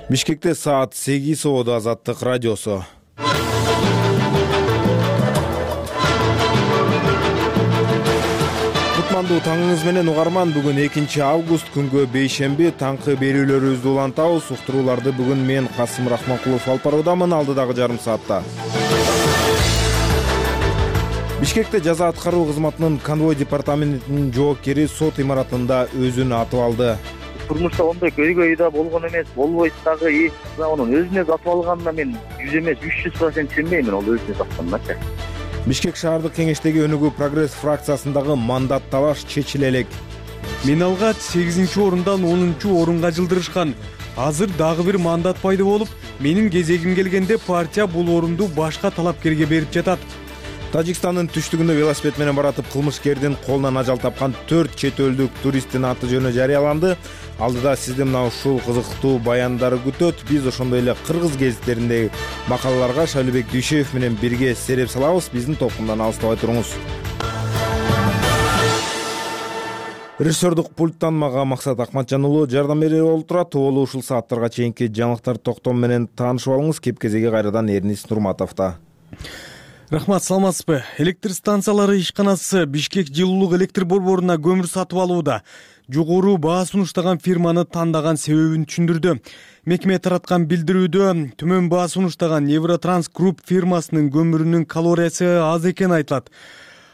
Бишкекте саат 8 соодо Азаттык радиосу. Кутмандуу таңыңыз менен угарман. Бүгүн 2 август күнгө бейшемби. Таңкы берүүлөрүбүздү улантабыз. Уктурууларды бүгүн мен Касым Рахманкулов алып баруудамын алдыдагы жарым саатта. Бишкекте жаза аткаруу кызматынын конвой департаментинин жоопкери сот имаратында өзүн атып алды. Турмушта ондай көйгөй да болгон эмес, болбойт дагы. Анын өзүнө атып алганына мен 100 эмес 300% сенбеймин, ол өзүнө атканначы. Бишкек шаардык кеңештеги өнүгүү прогресс фракциясындагы мандат талаш чечиле элек. Мен алгач 8-орундан 10-орунга жылдырышкан. Азыр дагы бир мандат пайда болуп, менин кезегим келгенде партия бул орунду башка талапкерге берип жатат. Тажикстандын түштүгүндө велосипед менен баратып кылмышкердин колунан ажал тапкан 4 чет элдик туристтин аты жөнү жарыяланды. Алдыда сизди мына ушул кызыктуу баяндар күтөт. Биз ошондой эле кыргыз гезиттериндеги макалаларга Шайлыбек Дүйшеев менен бирге сереп салабыз. Биздин токумдан алыстабай туруңуз. Режиссердук пульттан мага Максат Акматжан уулу жардам берип олтурат. Болу ушул сааттарга чейинки жаңылыктар токтом менен таанышып алыңыз. Кеп кезеги кайрадан Эрнис Нурматовдо. Рахмат, саламатсызбы? Электр станциялары ишканасы Бишкек жылуулук электр борборуна көмүр сатып алууда. Жогору баа сунуштаган фирманы тандаган себебин түшүндүрдү. Мекеме тараткан билдирүүдө төмөн баа сунуштаган Евротранс Групп фирмасынын көмүрүнүн калориясы аз экени айтылат.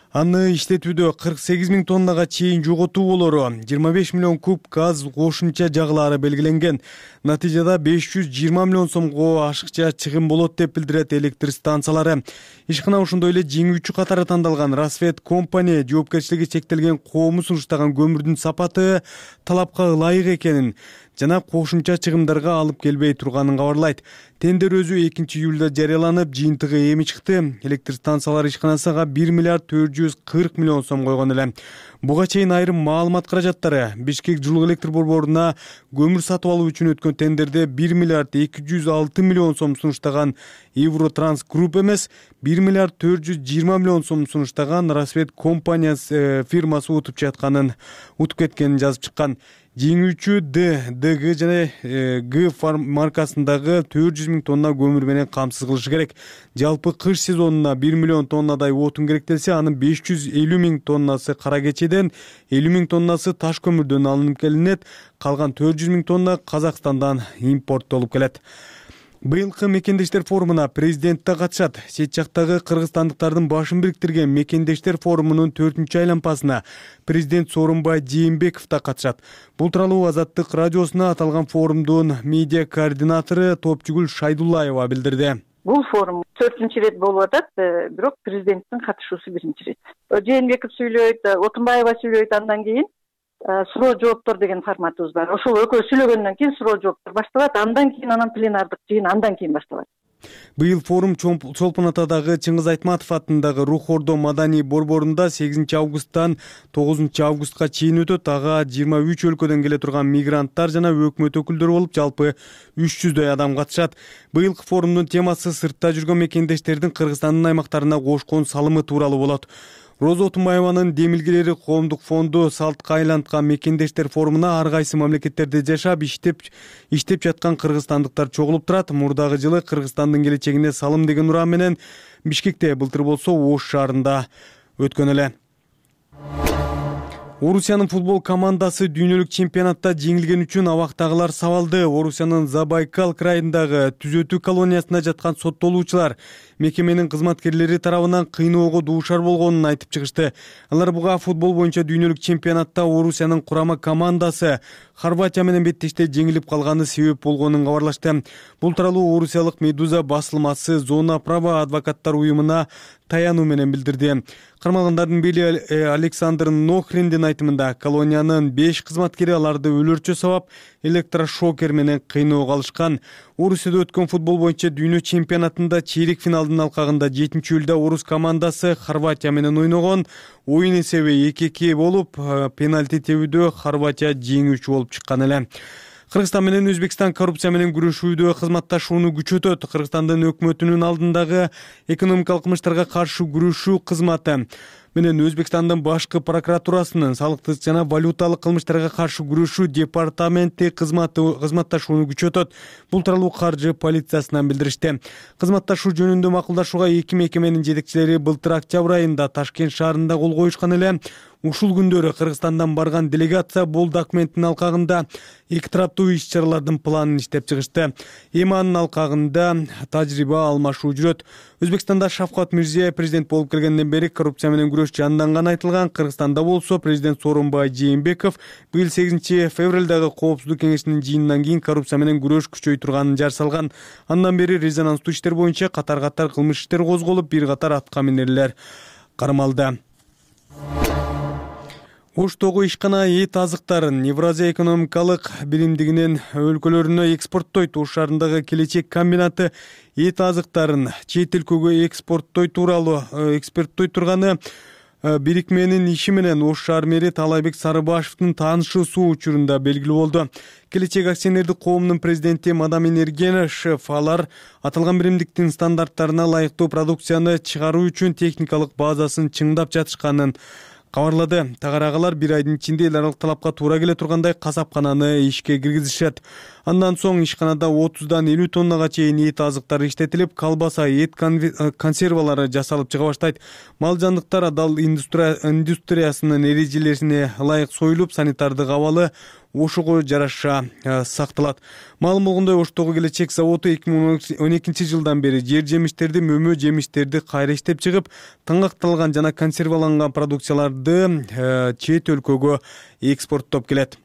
Аны иштетүүдө 48 000 тоннага чейин жоготуу болору, 25 миллион куб газ кошумча жагылаары белгиленген. Натыйжада 520 миллион сомго ашыкча чыгым болот деп билдирет электр станциялары. Ишкана ошондой эле жеңүүчү катары тандалган Расвет компания жоопкерчилиги чектелген коому сунуштаган көмүрдүн сапаты талапка ылайык экенин жана кошумча чыгымдарга алып келбей турганын кабарлайт. Тендер өзү 2-июлда жарыяланып, жыйынтыгы эми чыкты. Электр станциялары ишканасыга 1 миллиард 440 миллион сом койгон эле. Буга чейин айрым маалымат каражаттары Бишкек жылуу электр борборуна көмүр сатып алуу үчүн өткөн тендерде 1 миллиард 206 миллион сом сунуштаган Евротранс Групп эмес, 1 миллиард 420 миллион сом сунуштаган Расвет компаниясы фирмасы утуп кеткенин жазып чыккан. Жеңүүчү ДГ жана Г маркасындагы 400 000 тонна көмүр менен камсыз кылышы керек. Жалпы кыш сезонуна 1 миллион тоннадай отун керектелсе, анын 550 000 тоннасы кара кечеден, 50 000 тоннасы таш көмүрдөн алынып келинет. Калган 400 000 тонна Казакстандан импорттолуп келет. Быйылкы мекендештер форумуна президент да катышат. Чет жактагы кыргызстандыктардын башын бириктирген мекендештер форумунун 4-айланпасына президент Сооронбай Жээнбеков да катышат. Бул тууралуу Азаттык радиосуна аталган форумдун медиа координатору Топчугүл Шайдуллаева билдирди. Бул форум 4-рет болуп атат, бирок президенттин катышуусу 1-рет. Жээнбеков сүйлөйт, Отунбаева сүйлөйт, андан кийин суроо жооптор деген форматыбыз бар. Ошол экөө сүйлөгөндөн кийин суроо жооптор башталат, андан кийин анан пленардык жыйын андан кийин башталат. Быйыл форум Чолпон Атадагы Чыңгыз Айтматов атындагы Рух Ордо маданий борборунда 8 августтан 9 августка чейин өтөт. Ага 23 өлкөдөн келе турган мигранттар жана өкмөт өкүлдөрү болуп, жалпы 300дөй адам катышат. Быйылкы форумдун темасы сыртта жүргөн мекендештердин Кыргызстандын аймактарына кошкон салымы тууралуу болот. Роза Отунбаеванын демилгелери коомдук фонду салтка айланткан мекендештер форумуна ар кайсы мамлекеттерде жашап, иштеп жаткан кыргызстандыктар чогулуп турат. Мурдагы жылы Кыргызстандын келечегине салым деген уран менен Бишкекте, былтыр болсо Ош шаарында өткөн эле. Орусиянын футбол командасы дүйнөлүк чемпионатта жеңилген үчүн абактагылар сабалды. Орусиянын Забайкал крайындагы түзөтүү колониясында жаткан соттолуучулар мекеменин кызматкерлери тарабынан кыйноого дуушар болгонун айтып чыгышты. Алар буга футбол боюнча дүйнөлүк чемпионатта Орусиянын курама командасы Хорватия менен беттеште жеңилип калганы себеп болгонун кабарлашты. Бул тууралуу орусиялык Медуза басылмасы Зона права адвокаттар уюмуна таянуу менен билдирди. Кармалгандардын бели Александр Нохриндин айтымында колониянын 5 кызматкери аларды өлөрчө сабап электрошокер менен кыйноого алышкан. Орусияда өткөн футбол боюнча дүйнө чемпионатында чейрек финалдын алкагында 7-июлда орус командасы Хорватия менен ойногон. Оюн эсеби 2-2 болуп, пенальти тебүүдө Хорватия жеңүүчү болуп чыккан эле. Кыргызстан менен Өзбекстан коррупция менен күрөшүүдө кызматташууну күчөтөт. Кыргызстандын өкмөтүнүн алдындагы экономикалык кылмыштарга каршы күрөшүү кызматы менен Өзбекстандын башкы прокуратурасынын салыктык жана валюталык кылмыштарга каршы күрөшүү департаменти кызматташууну күчөтөт. Бул тууралуу каржы полициясынан билдиришти. Кызматташуу жөнүндө макулдашууга эки мекеменин жетекчилери былтыр октябрь айында Ташкент шаарында кол коюшкан эле. Ушул күндөрү Кыргызстандан барган делегация бул документтин алкагында эки тараптуу иш-чаралардын планын иштеп чыгышты. Эми анын алкагында тажрыйба алмашуу жүрөт. Өзбекстанда Шавкат Мирзиёев президент болуп келгенден бери коррупция менен күрөш жанданганы айтылган. Кыргызстанда болсо президент Сооронбай Жээнбеков быйыл 8 февралдагы Коопсуздук кеңешинин жыйынынан кийин коррупция менен күрөш күчөй турганын жар салган. Андан бери резонанстуу иштер боюнча катар-катар кылмыш иштер козголуп, бир катар атка минерлер кармалды. Оштогу ишкана эт азыктарын Евразия экономикалык биримдигинин өлкөлөрүнө экспорттойт. Ош шаарындагы Келечек комбинаты эт азыктарын чет өлкөгө экспорттой турганы бирикменин иши менен Ош шаар мэри Таалайбек Сарыбашевдин таанышуусу учурунда белгилүү болду. Келечек акционердик коомунун президенти Мадамин Эргенашев алар аталган биримдиктин стандарттарына ылайыктуу продукцияны чыгаруу үчүн техникалык базасын чыңдап жатышканын кабарлады. Тагараагалар бир айдын ичинде эл аралык талапка туура келе тургандай касапкананы ишке киргизишет. Андан соң ишканада 30дан 50 тоннага чейин эт азыктары иштетилип, колбаса, эт консервалары жасалып чыга баштайт. Мал жандыктар адал индустриясынын эрежелерине ылайык союлуп, санитардык абалы Ошого жараша сакталат. Маалым болгондой, Оштогу Келечек заводу 2012 жылдан бери жер жемиштерди, мөмө жемиштерди кайра иштеп чыгып, таңакталган жана консерваланган продукцияларды чет өлкөгө экспорттоп келет.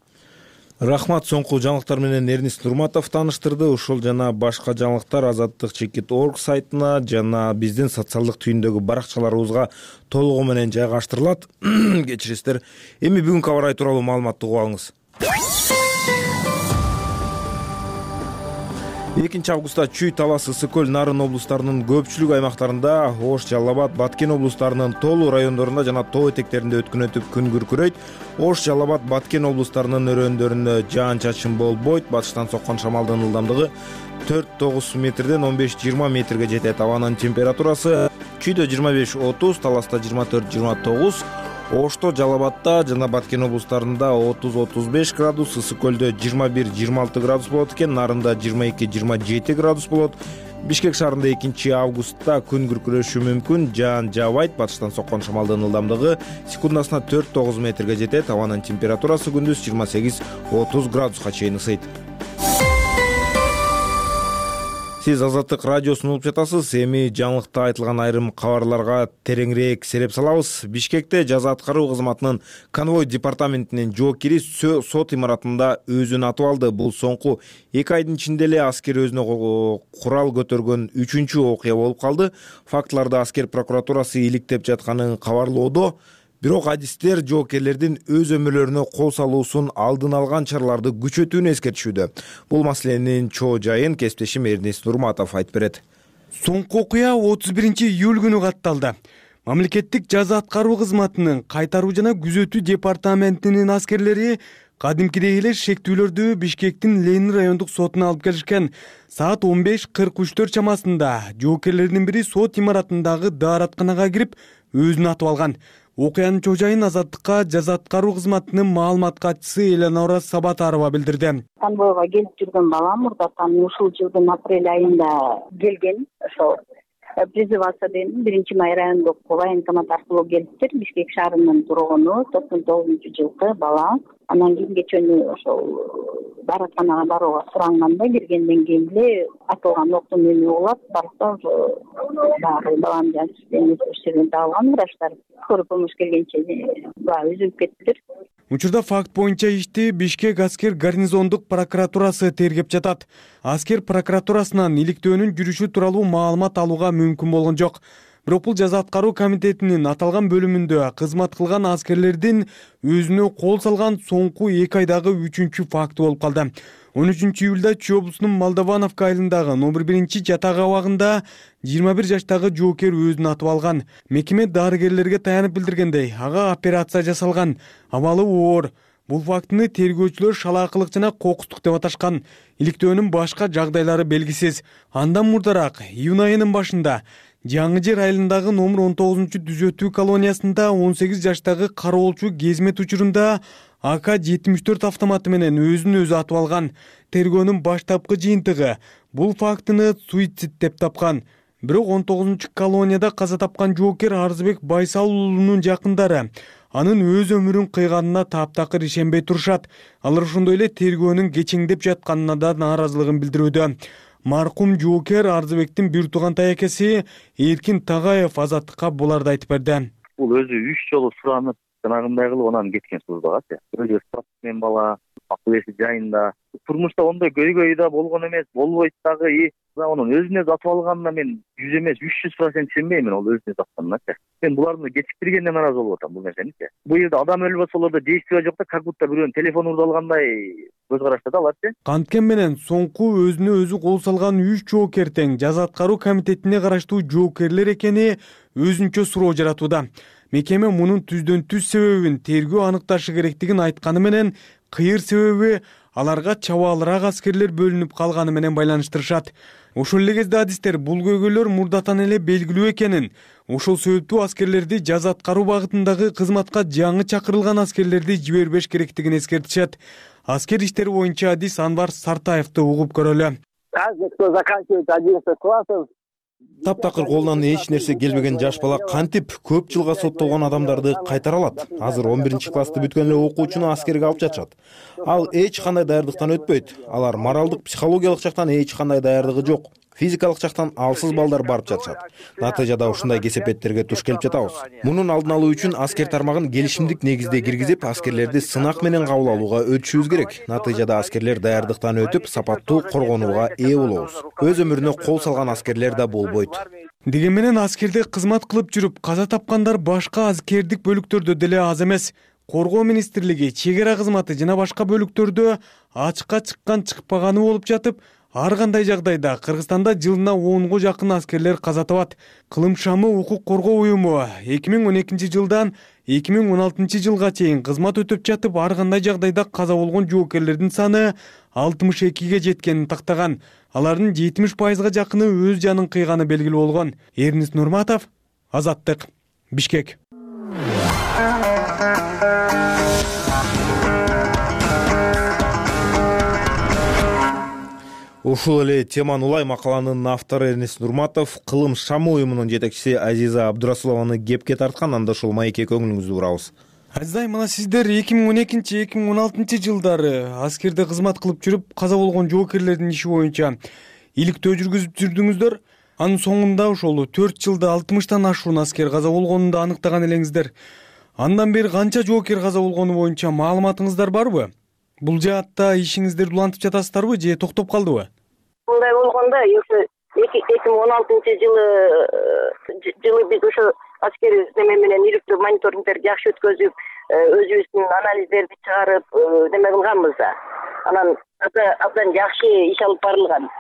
Рахмат, соңку жаңылыктар менен Эрнис Нурматов тааныштырды. Ушул жана башка жаңылыктар Азаттык.org сайтына жана биздин социалдык түйүндөгү баракчаларыбызга толугу менен жайгаштырылат. Кечиресиздер. Эми бүгүнкү аба ырайы тууралуу маалыматты угуп алыңыз. 2 августта Чүй, Талас, Ысык көл, Нарын облустарынын көпчүлүк аймактарында, Ош, Жалал Абад, Баткен облустарынын тоолуу райондорунда жана тоо этектеринде өткөн өтүп күн күркүрөйт. Ош, Жалал Абад, Баткен облустарынын өрөөндөрүндө жаан-чачын болбойт. Батыштан соккон шамалдын ылдамдыгы 4-9 метрден 15-20 метрге жетет. Абанын температурасы Чүйдө 25-30, Таласта 24-29, Ошто, Жалал Абадта жана Баткен облустарында 30-35 градус, Ысык көлдө 21-26 градус болот экен, Нарында 22-27 градус болот. Бишкек шаарында 2 августта күн күркүрөшү мүмкүн, жаан жаабайт. Батыштан соккон шамалдын ылдамдыгы секундасына 4-9 метрге жетет. Абанын температурасы күндүз 28-30 градуска чейин ысыйт. Сиз Азаттык радиосун угуп жатасыз. Эми жаңылыкта айтылган айрым кабарларга тереңирээк сереп салабыз. Бишкекте жаза аткаруу кызматынын конвой департаментинин жоокери сот имаратында өзүн атып алды. Бул соңку 2 айдын ичинде эле аскер өзүнө курал көтөргөн 3-чү окуя болуп калды. Фактыларды аскер прокуратурасы иликтеп жатканын кабарлоодо, бирок адистер жоокерлердин өз өмүрлөрүнө кол салуусун алдын алган чараларды күчөтүүнү эскертишүүдө. Бул маселенин чоо жайын кесиптешим Эрнис Нурматов айтып берет. Соңку окуя 31 июль күнү катталды. Мамлекеттик жаза аткаруу кызматынын кайтаруу жана күзөтүү департаментинин аскерлери кадимкидей эле шектүүлөрдү Бишкектин Ленин райондук сотуна алып келишкен. Саат 15:43 чамасында жоокерлердин бири сот имаратындагы дааратканага кирип өзүн атып алган. Окуянын чоо жайын Азаттыкка жаза аткаруу кызматынын маалымат катчысы Элеонора Сабатарова билдирди. Конвойго келип жүргөн балам мурдатан ушул жылдын апрель айында келген. Ошо призываться деген 1 май райондук военкомат аркылуу келиптир. Бишкек шаарынын тургуну 99-жылкы бала. Анан кийин кечөнү ошол дааратканага барууга суранганда киргенден кийин эле атылган октун үнү улап барса ошо баягы баланын жанын жерден табылган врачтар. Скорый помощь келгенче баягы үзүлүп кеттилер. Учурда факт боюнча ишти Бишкек аскер гарнизондук прокуратурасы тергеп жатат. Аскер прокуратурасынан иликтөөнүн жүрүшү тууралуу маалымат алууга мүмкүн болгон жок. Бирок бул жаза аткаруу комитетинин аталган бөлүмүндө кызмат кылган аскерлердин өзүнө кол салган соңку 2 айдагы 3-чү факты болуп калды. 13 июлда Чүй облусунун Молдовановка айылындагы номер 1 жатак абагында 21 жаштагы жоокер өзүн атып алган. Мекеме дарыгерлерге таянып билдиргендей, ага операция жасалган, абалы оор. Бул фактыны тергөөчүлөр шалаакылык жана кокустук деп аташкан. Иликтөөнүн башка жагдайлары белгисиз. Андан мурдараак июнь айынын башында Жаңы Жер айылындагы номер 19-түзөтүү колониясында 18 жаштагы кароолчу кезмет учурунда АК-74 автоматы менен өзүн өзү атып алган. Тергөөнүн баштапкы жыйынтыгы бул фактыны суицид деп тапкан. Бирок 19 колонияда каза тапкан жоокер Арзыбек Байсал уулунун жакындары анын өз өмүрүн кыйганына таптакыр ишенбей турушат. Алар ошондой эле тергөөнүн кечеңдеп жатканына да нааразылыгын билдирүүдө. Маркум жоокер Арзыбектин бир туугантай акеси Эркин Тагаев Азаттыкка буларды айтып берди. Бул өзү 3 жолу суранып, жанагындай кылып анан кеткен службага. Өзү спортсмен бала, акыл эси жайында. Турмушта ондой көйгөй да болгон эмес, болбойт дагы. Анын өзүнө затып алганына мен 100 эмес 300% ишенбеймин, ол өзүнө затканына. Мен буларды кечиктиргенге нааразы болуп атам бул нерсени. Бул жерде адам өлбөсө болот, действие жок да, как будто бирөөнүн телефону урду алгандай көз карашта да алар. Канткен менен соңку өзүнө өзү кол салган 3 жоокер тең жаза аткаруу комитетине караштуу жоокерлер экени өзүнчө суроо жаратууда. Мекеме мунун түздөн түз себебин тергөө аныкташы керектигин айтканы менен, кыйыр себеби аларга чабаалыраак аскерлер бөлүнүп калганы менен байланыштырышат. Ошол эле кезде адистер бул көйгөйлөр мурдатан эле белгилүү экенин, ошол себептүү аскерлерди жаза аткаруу багытындагы кызматка жаңы чакырылган аскерлерди жибербеш керектигин эскертишет. Аскер иштери боюнча адис Анвар Сартаевди угуп көрөлү. Таптакыр колунан эч нерсе келбеген жаш бала кантип көп жылга соттолгон адамдарды кайтара алат? Азыр 11-классты бүткөн эле окуучуну аскерге алып жатышат. Ал эч кандай даярдыктан өтпөйт. Алар моралдык, психологиялык жактан эч кандай даярдыгы жок. Физикалык жактан алсыз балдар барып жатышат. Натыйжада ушундай кесепеттерге туш келип жатабыз. Мунун алдын алуу үчүн аскер тармагын келишимдик негизде киргизип, аскерлерди сынак менен кабыл алууга өтүшүбүз керек. Натыйжада аскерлер даярдыктан өтүп, сапаттуу коргонууга ээ болобуз. Өз өмүрүнө кол салган аскерлер да болбойт. Деген менен аскерде кызмат кылып жүрүп каза тапкандар башка аскердик бөлүктөрдө деле аз эмес. Коргоо министрлиги, чек ара кызматы жана башка бөлүктөрдө ачыкка чыккан чыкпаганы болуп жатып, ар кандай жагдайда Кыргызстанда жылына 10го жакын аскерлер каза табат. Кылым шамы укук коргоо уюму 2012 жылдан 2016 жылга чейин кызмат өтөп жатып, ар кандай жагдайда каза болгон жоокерлердин саны 62ге жеткенин тактаган. Алардын 70%га жакыны өз жанын кыйганы белгилүү болгон. Эрнис Нурматов, Азаттык, Бишкек. Ушул эле теманы улай макаланын автору Эрнис Нурматов Кылым шамы уюмунун жетекчиси Азиза Абдурасулованы кепке тарткан. Анда ушул маекке көңүлүңүздү бурабыз. Азизай, мына сиздер 2012-2016 жылдары аскерде кызмат кылып жүрүп каза болгон жоокерлердин иши боюнча иликтөө жүргүзүп жүрдүңүздөр. Анын соңунда ошол 4 жылда 60тан ашуун аскер каза болгонун да аныктаган элеңиздер. Андан бери канча жоокер каза болгону боюнча маалыматыңыздар барбы? Бул жаатта ишиңиздерди улантып жатасыздарбы же токтоп калдыбы? Мындай болгондо 2016 жылы биз ошо аскер неме менен иликтөө мониторингдерди жакшы өткөзүп, өзүбүздүн анализдерди чыгарып, неме кылганбыз да. Анан абдан жакшы иш алып барылган.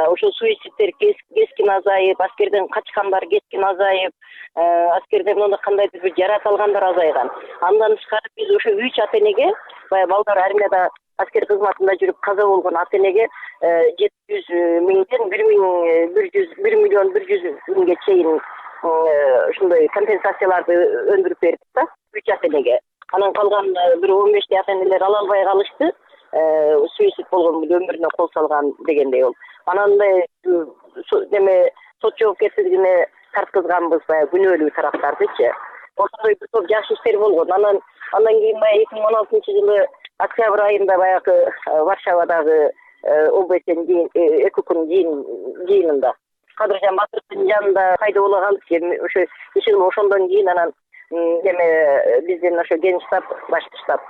Ошо суицидтер кескин азайып, аскерден качкандар кескин азайып, аскерден кандайдыр бир жарат алгандар азайган. Андан тышкары биз ошо 3 ата-энеге, баягы балдар армияда аскер кызматында жүрүп каза болгон ата-энеге 700 миңден 1 миллион 100 миңге чейин ушундай компенсацияларды өндүрүп бердик да 3 ата-энеге. Анан калган бир 15 ата-энелер ала албай калышты. Суицид болгон өмүрүнө кол салган дегендей болуп. Анан неме сот жоопкерчилигине тарткызганбыз баягы күнөөлүү тараптардычы. Ошондой бир топ жакшы иштер болгон. Андан кийин баягы 2016 жылы октябрь айында баягы Варшавадагы ОБС-н ЭКУК-нун жыйынында Кадыржан Батыровдун жанында пайда боло калдык. Ошо иши ошондон кийин анан неме биздин ошо ген штаб, башкы штаб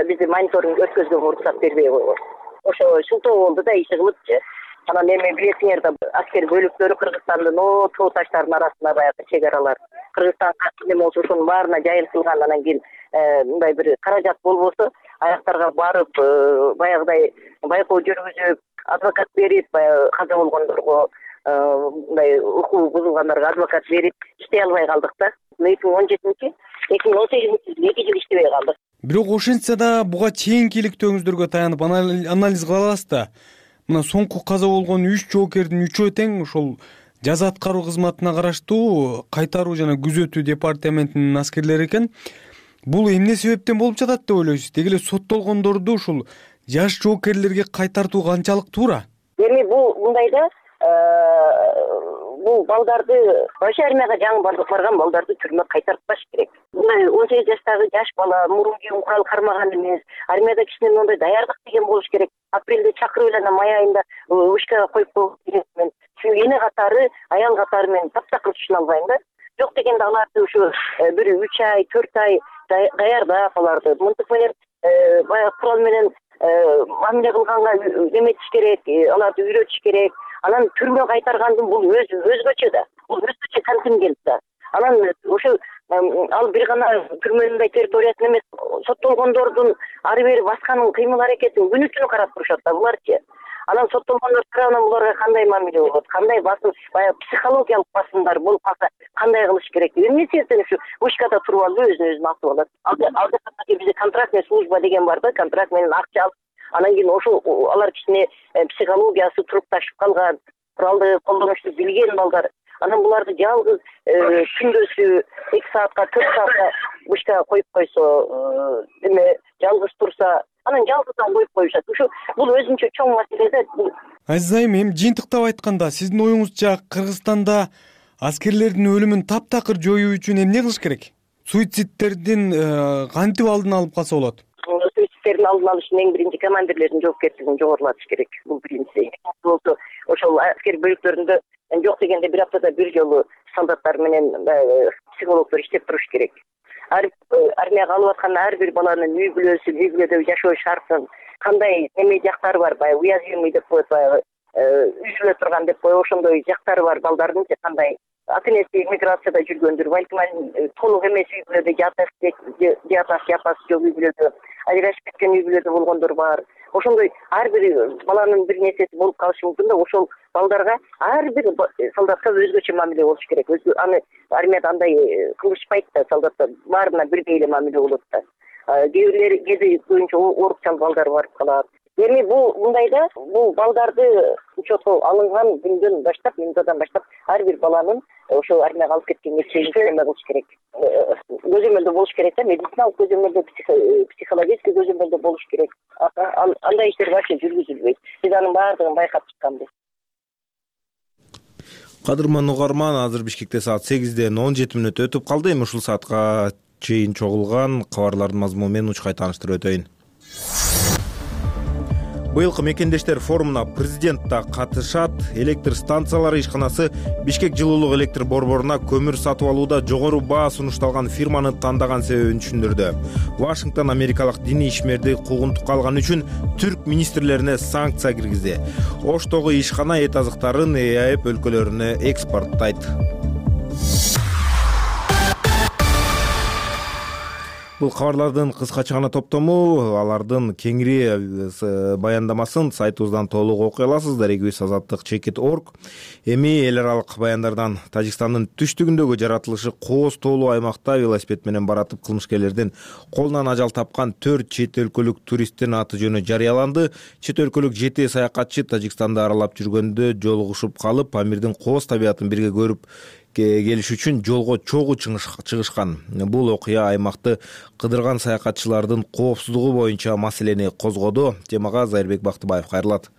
бизди мониторинг өткөзгөнгө уруксат бербей койгон. Ошо шылтоо болду да иши кылыпчы. Анан эми билесиңер да аскер бөлүктөрү Кыргызстандын тоо таштарынын арасында баягы чек аралар. Кыргызстанга неме болсо ошонун баарына жайылтылган. Анан кийин мындай бир каражат болбосо аяктарга барып баягыдай байкоо жүргүзүп, адвокат берип, баягы каза болгондорго мындай укугу бузулгандарга адвокат берип иштей албай калдык да. 2017-2018 жылы 2 жыл иштебей калдык. Бирок ошентсе да буга чейинки иликтөөңүздөргө таянып анализ кыла аласыз да. Мына соңку каза болгон 3 жоокердин 3-өө тең ошол жаза аткаруу кызматына караштуу кайтаруу жана күзөтүү департаментинин аскерлери экен. Бул эмне себептен болуп жатат деп ойлойсуз? Деги эле соттолгондорду ушул жаш жоокерлерге кайтартуу канчалык туура? Эми бул мындай да, бул балдарды вообще армияга жаңы барган балдарды түрмөгө кайтартпаш керек. Мындай 18 жаштагы жаш бала мурун кийин курал кармаган эмес, армияда кичине мындай даярдык деген болуш керек. Апрелде чакырып эле май айында вышкага коюп коюш керек. Мен эне катары, аял катары мен таптакыр түшүнө албайм да. Жок дегенде аларды ушу бир 3 ай, 4 ай даярдап аларды мынтык менен баягы курал менен мамиле кылганга эметиш керек, аларды үйрөтүш керек. Анан түрмөгө кайтаргандын бул өзгөчө да. Бул өзгөчө контингент да. Анан ошо ал бир гана түрмөнүн территориясын эмес, соттолгондордун ары бери басканын кыймыл аракетин күнү түнү карап турушат да буларчы. Анан соттолгондор тарабынан буларга кандай мамиле болот, кандай басым, баягы психологиялык басымдар болуп калса кандай кылыш керек? Эмне себептен ушу вышкада туруп алып өзүн атып алат? Алда бизде контрактный служба деген бар да, контракт менен акча алып, анан кийин ошол алар кичине психологиясы турукташып калган, куралды колдонушту билген балдар. Анан буларды жалгыз күндөсү 2 саатка 4 саатка вышкага коюп койсо, эме жалгыз турса, анан жалгыздан коюп коюшат. Ушу бул өзүнчө чоң маселе да. Азиз айым, эми жыйынтыктап айтканда, сиздин оюңузча Кыргызстанда аскерлердин өлүмүн таптакыр жоюу үчүн эмне кылыш керек? Суицидтердин кантип алдын алып калса болот? Суицидтердин алдын алыш үчүн эң биринчи командирлердин жоопкерчилигин жогорулатыш керек. Бул биринчиси. Болсо ошол аскер бөлүктөрүндө жок дегенде бир аптада бир жолу солдаттар менен психологдор иштеп туруш керек. Армияга алып аткан ар бир баланын үй бүлөдө жашоо шартын, кандай эме жактары бар, баягы уязвимый деп коет, баягы үзүлө турган деп коет, ошондой жактары бар балдардын кандай ата-энеси миграцияда жүргөндүр, балким толук эмес үй бүлөдө жатасы жок үй бүлөдө, ажырашып кеткен үй бүлөдө болгондор бар. Ошондой ар бир баланын бир нерсеси болуп калышы мүмкүн да, ошол балдарга ар бир солдатка өзгөчө мамиле болуш керек. Аны армияда андай кылышпайт да, солдаттар баарына бирдей эле мамиле болот да. Кээ бирлери кээде көбүнчө оорукчал балдар барып калат. Эми бул мындай да, бул балдарды учетко алынган күндөн баштап, минутадан баштап ар бир баланын ошол армияга алып кеткенге чейин эме кылыш керек. Көзөмөлдө болуш керек да, медициналык көзөмөлдө, психологический көзөмөлдө болуш керек. Андай иштер вообще жүргүзүлбөйт. Биз анын баардыгын байкап чыкканбыз. Кадырман угарман, азыр Бишкекте саат 8ден 17 мүнөт өтүп калды. Эми ушул саатка чейин чогулган кабарлардын мазмуну менен учкай тааныштырып өтөйүн. Быйылкы мекендештер форумуна президент да катышат. Электр станциялары ишканасы Бишкек жылуулук электр борборуна көмүр сатып алууда жогору баа сунушталган фирманы тандаган себебин түшүндүрдү. Вашингтон америкалык диний ишмерди куугунтукка алган үчүн түрк министрлерине санкция киргизди. Оштогу ишкана эт азыктарын ЭАЭП өлкөлөрүнө экспорттойт. Бул кабарлардын кыскача гана топтому, алардын кеңири баяндамасын сайтыбыздан толук окуй аласыздар. Эгибиз азаттык.org. Эми эл аралык баяндардан Тажикстандын түштүгүндөгү жаратылышы кооз тоолуу аймакта велосипед менен баратып кылмышкерлердин колунан ажал тапкан 4 чет өлкөлүк туристтин аты жөнү жарыяланды. Чет өлкөлүк 7 саякатчы Тажикстанды аралап жүргөндө жолугушуп калып, Памирдин кооз табиятын бирге көрүп келиш үчүн жолго чогуу чыгышкан. Бул окуя аймакты кыдырган саякатчылардын коопсуздугу боюнча маселени козгоду. Темага Зайырбек Бактыбаев кайрылат.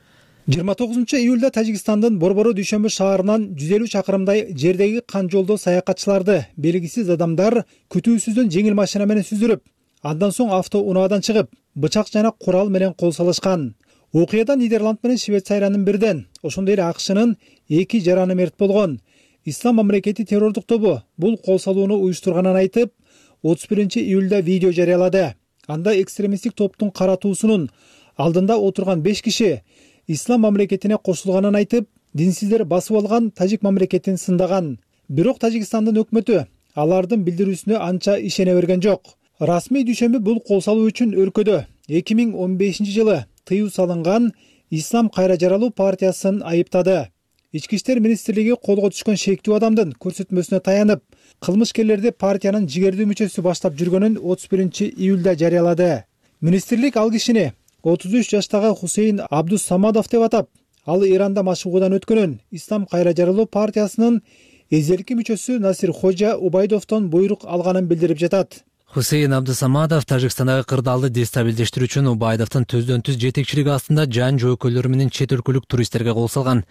29-июлда Тажикстандын Борбору Дүйшөмбү шаарынан 150 чакырымдай жердеги кан жолдо саякатчыларды белгисиз адамдар күтүүсүздөн жеңил машина менен сүздүрүп, андан соң автоунаадан чыгып, бычак жана курал менен кол салышкан. Окуяда Нидерланд менен Швейцариянын бирден, ошондой эле АКШнын 2 жараны мерт болгон. Ислам мамлекети террордук тобу бул кол салууну уюштурганын айтып, 31-июлда видео жарыялады. Анда экстремисттик топтун каратуусунун алдында отурган 5 киши Ислам мамлекетине кошулганын айтып, динсиздер басып алган Тажик мамлекетин сындаган. Бирок Тажикстандын өкмөтү алардын билдирүүсүнө анча ишене берген жок. Расмий Дүйшөмбү бул кол салуу үчүн өлкөдө 2015-жылы тыюу салынган Ислам кайра жаралуу партиясын айыптады. Ички иштер министрлиги колго түшкөн шектүү адамдын көрсөтмөсүнө таянып, кылмышкерлерди партиянын жигердүү мүчөсү баштап жүргөнүн 31-июлда жарыялады. Министрлик ал кишини 33 жаштагы Хусейн Абдус Самадов деп атап, Ал Иранда машыгуудан өткөнүн Ислам кайра жаралуу партиясынын эзелки мүчөсү Насир Хожа Убайдовдон буйрук алганын билдирип жатат. Хусейин Абдысамадов Тажикстандагы кырдаалды дестабилдештирүү үчүн Убайдовдун төздөн-түз жетекчилиги астында жан жоокөйлөрү менен чет өлкөлүк туристтерге кол салган.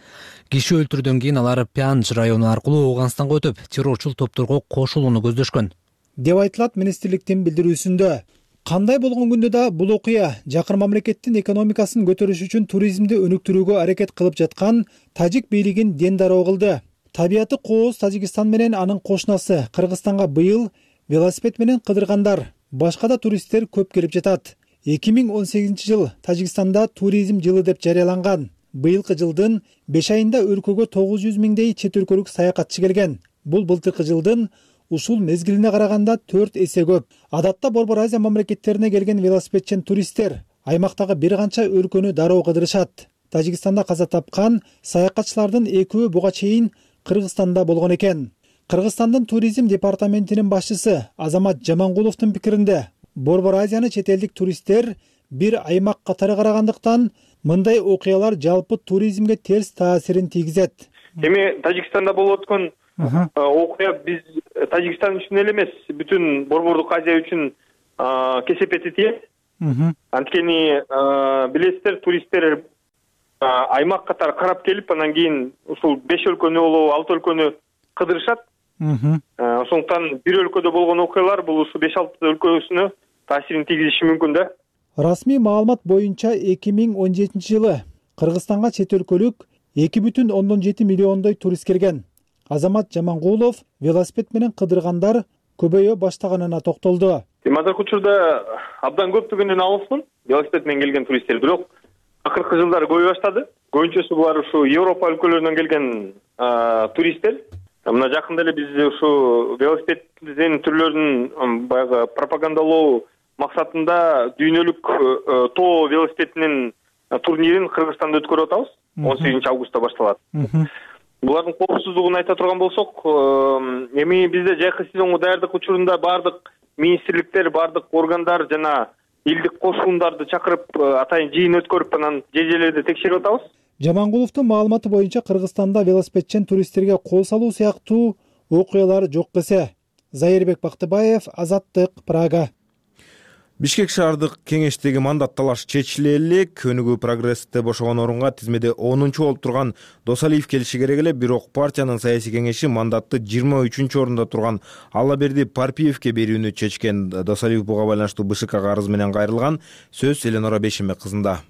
Киши өлтүрүүдөн кийин алар Пянж району аркылуу Ооганстанга өтүп, террорчул топторго кошулууну көздөшкөн деп айтылат министрликтин билдирүүсүндө. Кандай болгон күндө да бул окуя жакын мамлекеттин экономикасын көтөрүш үчүн туризмди өнүктүрүүгө аракет кылып жаткан тажик бийлигин дендароо кылды. Табияты кооз Тажикстан менен анын кошунасы Кыргызстанга быйыл велосипед менен кыдыргандар, башка да туристтер көп келип жатат. 2018-жыл Тажикстанда туризм жылы деп жарыяланган. Быйылкы жылдын 5 айында өлкөгө 900 миңдей чет өлкөлүк саякатчы келген. Бул былтыркы жылдын ушул мезгилине караганда 4 эсе көп. Адатта Борбор Азия мамлекеттерине келген велосипедчен туристтер аймактагы бир канча өлкөнү дароо кыдырышат. Тажикстанда каза тапкан саякатчылардын экөө буга чейин Кыргызстанда болгон экен. Кыргызстандын туризм департаментинин башчысы Азамат Жамангуловдун пикиринде, Борбор Азияны чет элдик туристтер бир аймак катары карагандыктан мындай окуялар жалпы туризмге терс таасирин тийгизет. Эми Тажикстанда болуп өткөн окуя биз Тажикстан үчүн эле эмес, бүтүн Борбордук Азия үчүн кесепети тиет. Анткени билесиздер, туристтер аймак катары карап келип, анан кийин ушул 5 өлкөнү болобу, 6 өлкөнү кыдырышат. Ошондуктан бир өлкөдө болгон окуялар бул ушу 5-6 өлкөсүнө таасирин тийгизиши мүмкүн да. Расмий маалымат боюнча 2017-жылы Кыргызстанга чет өлкөлүк 2,7 миллиондой турист келген. Азамат Жамангулов велосипед менен кыдыргандар көбөйө баштаганына токтолду. Азыркы учурда абдан көптүгүнөн алысмын велосипед менен келген туристтер, бирок акыркы жылдары көбөй баштады. Көбүнчөсү булар ушу Европа өлкөлөрүнөн келген туристтер. Мына жакында эле биз ушу велосипеддин түрлөрүн баягы пропагандалоо максатында дүйнөлүк тоо велосипединин турнирин Кыргызстанда өткөрүп атабыз. 18-августта башталат. Булардын коопсуздугун айта турган болсок, эми бизде жайкы сезонго даярдык учурунда бардык министрликтер, бардык органдар жана элдик кошундарды чакырып атайын жыйын өткөрүп, анан жежелерди текшерип атабыз. Жамангуловдун маалыматы боюнча Кыргызстанда велосипедчен туристтерге кол салуу сыяктуу окуялар жок десе. Зайырбек Бактыбаев, Азаттык, Прага. Бишкек шаардык кеңештеги мандат талаш чечиле элек. Өнүгүү прогрессте бошогон орунга тизмеде 10-чу болуп турган Досалиев келиши керек эле, бирок партиянын саясий кеңеши мандатты 23-орунда турган Аллаберди Парпиевке берүүнү чечкен. Досалиев буга байланыштуу БШКга арыз менен кайрылган. Сөз Эленора Бешимбек кызында.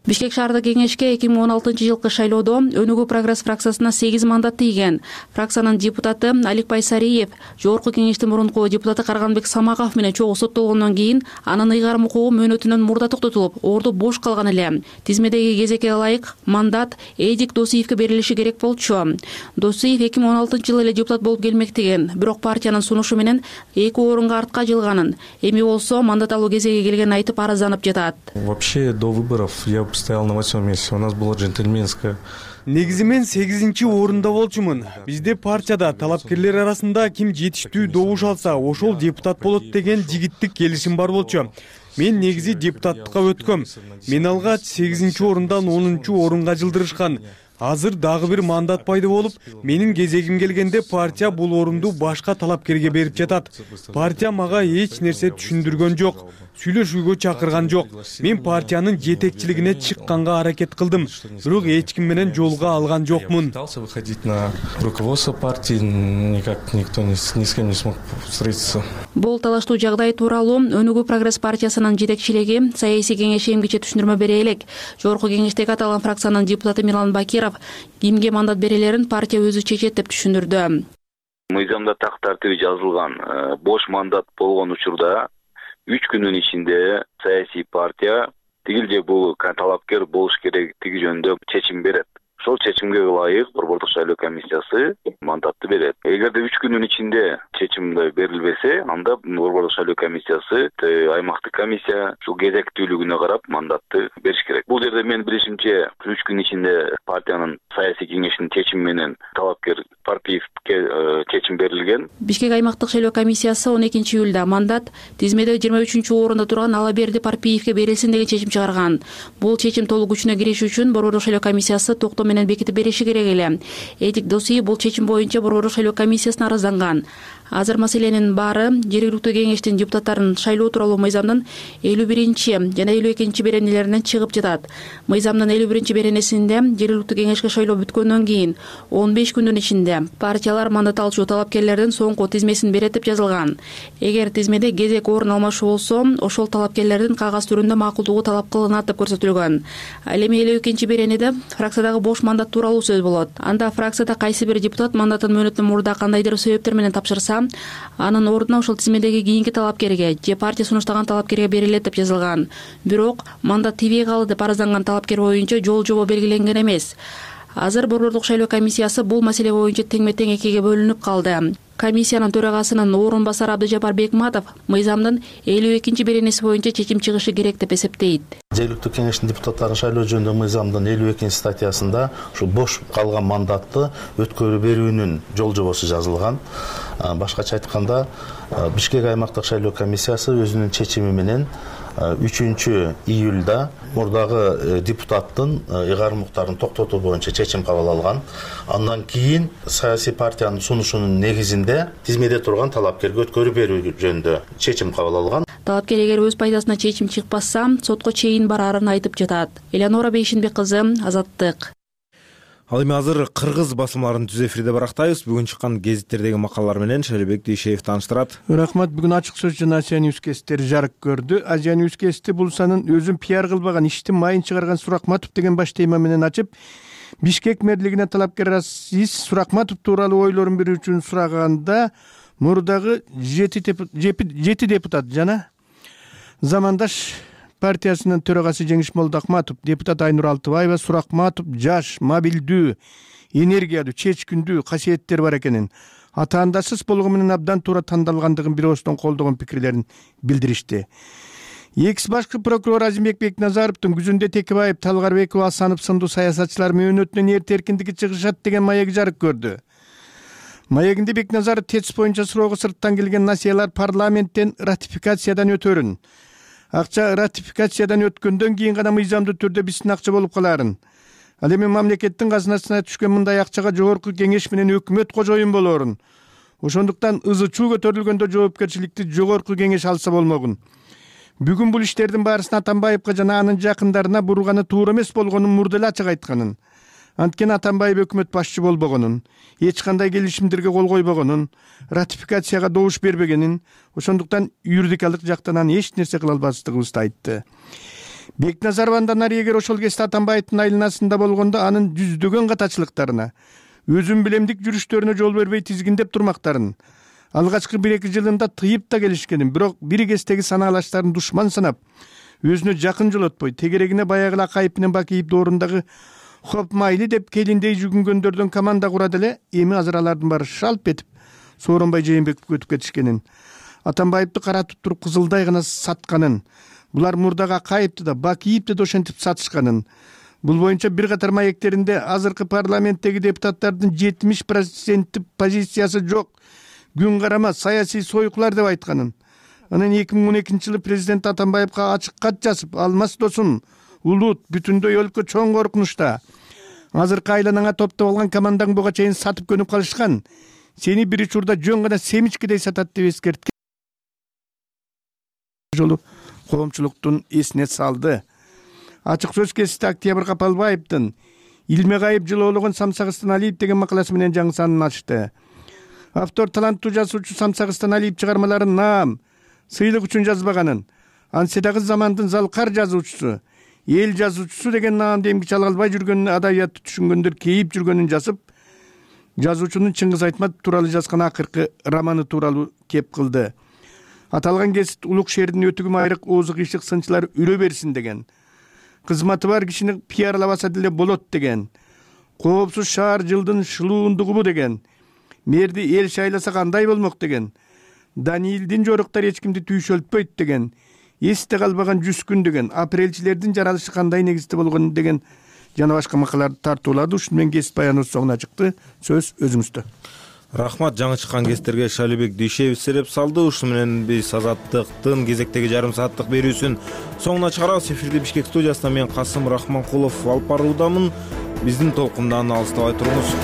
Бишкек шаардык кеңешке 2016-жылкы шайлоодо Өнүгүү прогресс фракциясына 8 мандат тийген. Фракциянын депутаты Аликбай Сариев, жогорку кеңештин мурунку депутаты Карганбек Самагов менен чогуу соттолгондон кийин анын ыйгарым укугу мөөнөтүнөн мурда токтотулуп, орду бош калган эле. Тизмедеги кезекке ылайык мандат Эдик Досиевке берилиши керек болчу. Досиев 2016-жылы эле депутат болуп келмектеген, бирок партиянын сунушу менен 2 орунга артка жылганын. Эми болсо мандат алуу кезеги келгенин айтып арызданып жатат. Вообще до выборов я стоял на 8-м месте. У нас было джентльменское. Негизи мен 8-чи орунда болчумун. Бизде партияда талапкерлер арасында ким жетиштүү добуш алса, ошол депутат болот деген жигиттик келишим бар болчу. Мен негизи депутаттыкка өткөм. Мен алгач 8-чи орундан 10-чу орунга жылдырышкан. Азыр дагы бир мандат пайда болуп, менин кезегим келгенде партия бул орунду башка талапкерге берип жатат. Партия мага эч нерсе түшүндүргөн жок, сүйлөшүүгө чакырган жок. Мен партиянын жетекчилигине чыкканга аракет кылдым, бирок эч ким менен жолго алган жокмун. Пытался выходить на руководство партии, никак никто ни с кем не смог встретиться. Бул талаштуу жагдай тууралуу Өнүгүү прогресс партиясынын жетекчилиги саясий кеңешке эмгиче түшүндүрмө бере элек. Жогорку кеңештеги аталган фракциянын депутаты Мирлан Бакиров кимге мандат берелерин партия өзү чечет деп түшүндүрдү. Мыйзамда так тартиби жазылган. Бош мандат болгон учурда 3 күнүн ичинде саясий партия тигил же бул талапкер болуш керектиги жөнүндө чечим берет. ошол чечимге ылайык Борбордук шайлоо комиссиясы мандатты берет. Эгерде 3 күндүн ичинде чечим берилбесе, анда Борбордук шайлоо комиссиясы аймактык комиссия ушул кезектүүлүгүнө карап мандатты бериш керек. Бул жерде менин билишимче 3 күн ичинде партиянын саясий кеңешинин чечими менен талапкер Парпиевке чечим берилген. Бишкек аймактык шайлоо комиссиясы 12 июлда мандат тизмеде 23-орунда турган Алаберди Парпиевке берилсин деген чечим чыгарган. Бул чечим толук күчүнө кириши үчүн Борбордук шайлоо комиссиясы токтоо менен бекитип бериши керек эле. Этик досий бул чечим боюнча Борбордук шайлоо комиссиясына арызданган. Азыр маселенин баары жергиликтүү кеңештин депутаттарын шайлоо тууралуу мыйзамдын 51 жана 52 беренелеринен чыгып жатат. Мыйзамдын 51 беренесинде жергиликтүү кеңешке шайлоо бүткөндөн кийин 15 күндүн ичинде партиялар мандат алчу талапкерлердин соңку тизмесин берет деп жазылган. Эгер тизмеде кезек орун алмашуу болсо, ошол талапкерлердин кагаз түрүндө макулдугу талап кылынат деп көрсөтүлгөн. Ал эми 52 беренеде фракциядагы бош мандат тууралуу сөз болот. Анда фракцияда кайсы бир депутат мандатын мөөнөттөн мурда кандайдыр себептер менен тапшырса, анын ордуна ошол тизмедеги кийинки талапкерге же партия сунуштаган талапкерге берилет деп жазылган. Бирок мандат тийбей калды деп арызданган талапкер боюнча жол жобо белгиленген эмес. Азыр Борбордук шайлоо комиссиясы бул маселе боюнча теңме-тең экиге бөлүнүп калды. Комиссиянын төрагасынын орун басары Абдыжапар Бекматов мыйзамдын 52 беренеси боюнча чечим чыгышы керек деп эсептейт. Жергиликтүү кеңештин депутаттарын шайлоо жөнүндө мыйзамдын 52 статьясында ушул бош калган мандатты өткөрүп берүүнүн жол жобосу жазылган. Башкача айтканда, Бишкек аймактык шайлоо комиссиясы өзүнүн чечими менен 3 июлда мурдагы депутаттын ыйгарым укуктарын токтотуу боюнча чечим кабыл алган. Андан кийин саясий партиянын сунушунун негизинде тизмеде турган талапкерге өткөрүп берүү жөнүндө чечим кабыл алган. Талапкер эгер өз пайдасына чечим чыкпаса, сотко чейин бараарын айтып жатат. Элеонора Бейшинбек кызы, Азаттык. Ал эми азыр кыргыз басылмаларын түз эфирде барактайбыз. Бүгүн чыккан гезиттердеги макалалар менен Шайлообек Дүйшеев тааныштырат. Рахмат. Бүгүн ачык сөз жана Азия Ньюс гезиттери жарык көрдү. Азия Ньюс гезити бул санын өзүн пиар кылбаган иштин майын чыгарган Суракматов деген баш тема менен ачып, Бишкек мэрлигине талапкер Азиз Суракматов тууралуу ойлорун берүү үчүн сураганда, мурдагы 7 депутат жана замандаш партиясынын төрагасы Жеңиш Молдоахматов, депутат Айнур Алтыбаева Суракматов жаш, мобилдүү, энергиялуу, чечкиндүү касиеттери бар экенин, ата-анасыз болгону менен абдан туура тандалгандыгын бир ооздон колдогон пикирлерин билдиришти. Экс башкы прокурор Азимбек Бекназаровдун күзүндө Текебаев, Талгарбеков, Асанов сындуу саясатчылар мөөнөтүнөн эрте эркиндикке чыгышат деген маеги жарык көрдү. Маегинде Бекназаров ТЭЦ боюнча суроого сырттан келген насыялар парламенттен ратификациядан өтөрүн. Акча ратификациядан өткөндөн кийин гана мыйзамдуу түрдө биздин акча болуп каларын. Ал эми мамлекеттин казынасына түшкөн мындай акчага жогорку кеңеш менен өкмөт кожоюн болорун. Ошондуктан ызы-чуу көтөрүлгөндө жоопкерчиликти жогорку кеңеш алса болмогун. Бүгүн бул иштердин баарысын Атамбаевга жана анын жакындарына бурганы туура эмес болгонун мурда эле ачык айтканын. Анткени Атамбаев өкмөт башчы болбогонун, эч кандай келишимдерге кол койбогонун, ратификацияга добуш бербегенин, ошондуктан юридикалык жактан эч нерсе кыла албастыгыбызды айтты. Бекназаров андан ары эгер ошол кезде Атамбаевдин айланасында болгондо анын жүздөгөн катачылыктарына, өзүн билемдик жүрүштөрүнө жол бербей тизгиндеп турмактарын, алгачкы 1-2 жылында тыйып да келишкенин, бирок бир кездеги санаалаштарын душман санап, өзүнө жакын жолотпой, тегерегине баягы Акаев менен Бакиев доорундагы хоп майли деп келиндей жүгүнгөндөрдөн команда курат эле, эми азыр алардын баары шалп этип Сооронбай Жээнбековго өтүп кетишкенин, Атамбаевди каратып туруп кызылдай гана сатканын, булар мурдагы Акаевди да Бакиевди да ошентип сатышканын, бул боюнча бир катар маектеринде азыркы парламенттеги депутаттардын 70% позициясы жок, күн карама саясий сойкулар деп айтканын. Анан 2012-жылы президент Атамбаевга ачык кат жазып, алмас досум, улут бүтүндөй өлкө чоң коркунучта. Азыркы айланаңа топтоп алган командаң буга чейин сатып көнүп калышкан. Сени бир учурда жөн гана семичкедей сатат деп эскерткен. Жолу коомчулуктун эсине салды. Ачык сөз гезити Октябрь Капалбаевдин Илмегайып жылоологон Самсагыстан Алиев деген макаласы менен жаңы санын ачты. Автор таланттуу жазуучу Самсагыстан Алиев чыгармаларын наам, сыйлык үчүн жазбаганын, ансы дагы замандын залкар жазуучусу, эл жазуучусу деген наамды эмгиче ала албай жүргөнүн, адабиятты түшүнгөндөр кейип жүргөнүн жазып, жазуучунун Чыңгыз Айтматов тууралуу жазган акыркы романы тууралуу кеп кылды. Аталган гезит улук шээрдин өтүгү майрык оозу кыйшык сынчылар үрө берсин деген. Кызматы бар кишини пиарлабаса деле болот деген. Коопсуз шаар жылдын шылуундугубу деген. Мэрди эл шайласа кандай болмок деген. Даниилдин жоруктары эч кимди түйшөлтпөйт деген. Эсте калбаган 100 күн деген. Апрелчилердин жаралышы кандай негизде болгон деген жана башка макалаларды тартуулады. Ушуну менен кесип баяныбыз соңуна чыкты. Сөз өзүңүздө. Рахмат, жаңы чыккан кестерге Шалибек Дүйшеев сереп салды. Ушуну менен биз Азаттыктын кезектеги жарым сааттык берүүсүн соңуна чыгарабыз. Эфирди Бишкек студиясынан мен Касым Рахманкулов алып баруудамын. Биздин толкундан алыстабай туруңуз.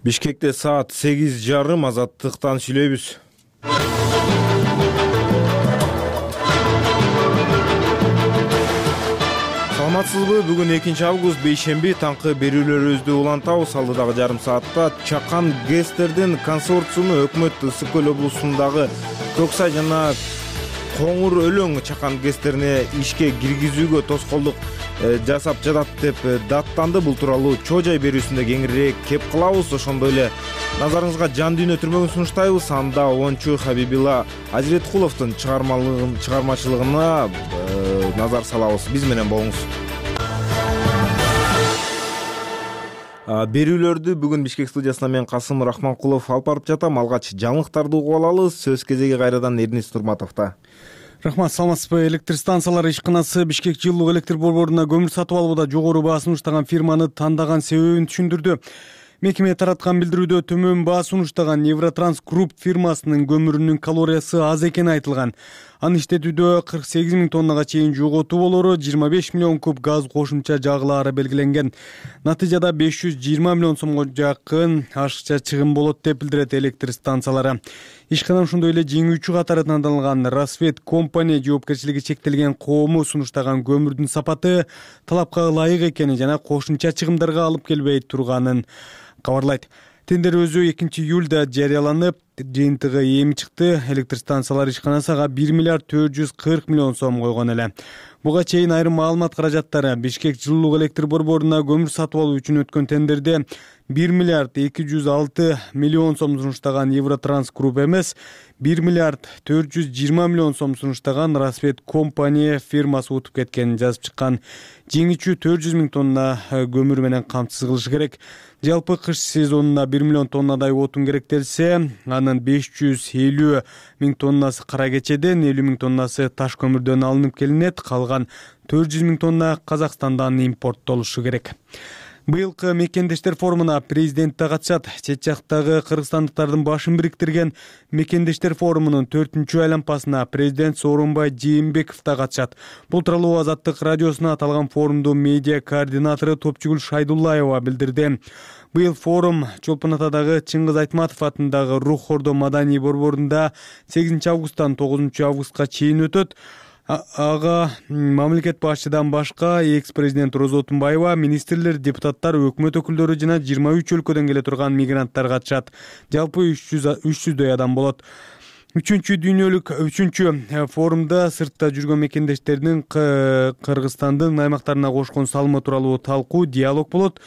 Бишкекте саат 8:30. Азаттыктан сүйлөйбүз. Саламатсызбы? Бүгүн 2-август бейшемби, таңкы берүүлөрүбүздү улантабыз. Алдыдагы жарым саатта Чакан ГЭСтердин консорциуму өкмөт Ысык көл облусундагы Көксай жана Коңур Өлөң Чакан ГЭСтерине ишке киргизүүгө тоскоолдук жасап жатат деп даттанды. Бул тууралуу чоо жай берүүсүндө кеңирээк кеп кылабыз. Ошондой эле назарыңызга жан дүйнө түрмөгүн сунуштайбыз. Анда оончу Хабибилла Ажиреткуловдун чыгармачылыгына назар салабыз. Биз менен болуңуз. Берүүлөрдү бүгүн Бишкек студиясынан мен Касым Рахманкулов алып барып жатам. Алгач жаңылыктарды угуп алалы. Сөз кезеги кайрадан Эрнис Турматовдо. Рахмат, саламатсызбы? Электр станциялары ишканасы Бишкек жылуулук электр борборуна көмүр сатып алууда жогору баа сунуштаган фирманы тандаган себебин түшүндүрдү. Мекеме тараткан билдирүүдө төмөн баа сунуштаган Евротранс Групп фирмасынын көмүрүнүн калориясы аз экени айтылган. Аны иштетүүдө 48 000 тоннага чейин жоготуу болору, 25 миллион куб газ кошумча жагылаары белгиленген. Натыйжада 520 миллион сомго жакын ашыкча чыгым болот деп билдирет электр станциялары. Ишкана ошондой эле жеңүүчү катары тандалган Рассвет компания жоопкерчилиги чектелген коому сунуштаган көмүрдүн сапаты талапка ылайык экени жана кошумча чыгымдарга алып келбей турганын кабарлайт. Тендер өзү 2-июлда жарыяланып, жыйынтыгы эми чыкты. Электр станциялары ишканасыга 1 миллиард 440 миллион сом койгон эле. Буга чейин айрым маалымат каражаттары Бишкек жылуулук электр борборуна көмүр сатып алуу үчүн өткөн тендерде 1 миллиард 206 миллион сом сунуштаган Евротранс Групп эмес, 1 миллиард 420 миллион сом сунуштаган Рассвет компания фирмасы утуп кеткенин жазып чыккан. Жеңүүчү 400 000 тонна көмүр менен камсыз кылышы керек. Жалпы кыш сезонуна 1 миллион тоннадай отун керектелсе, анын 550 000 тоннасы кара кечеден, 50 000 тоннасы таш көмүрдөн алынып келинет, калган 400 000 тонна Казакстандан импорттолушу керек. Быйылкы мекендештер форумуна президент да катышат. Чет жактагы кыргызстандыктардын башын бириктирген мекендештер форумунун 4-чү айланпасына президент Сооронбай Жээнбеков да катышат. Бул тууралуу Азаттык радиосуна аталган форумдун медиа координатору Топчугүл Шайдуллаева билдирди. Быйыл форум Чолпон Атадагы Чыңгыз Айтматов атындагы Рух Ордо маданий борборунда 8 августтан 9 августка чейин өтөт. Ага мамлекет башчыдан башка экс-президент Роза Отунбаева, министрлер, депутаттар, өкмөт өкүлдөрү жана 23 өлкөдөн келе турган мигранттар катышат. Жалпы 300дөй адам болот. 3-дүйнөлүк форумда сыртта жүргөн мекендештердин Кыргызстандын аймактарына кошкон салымы тууралуу талкуу, диалог болот.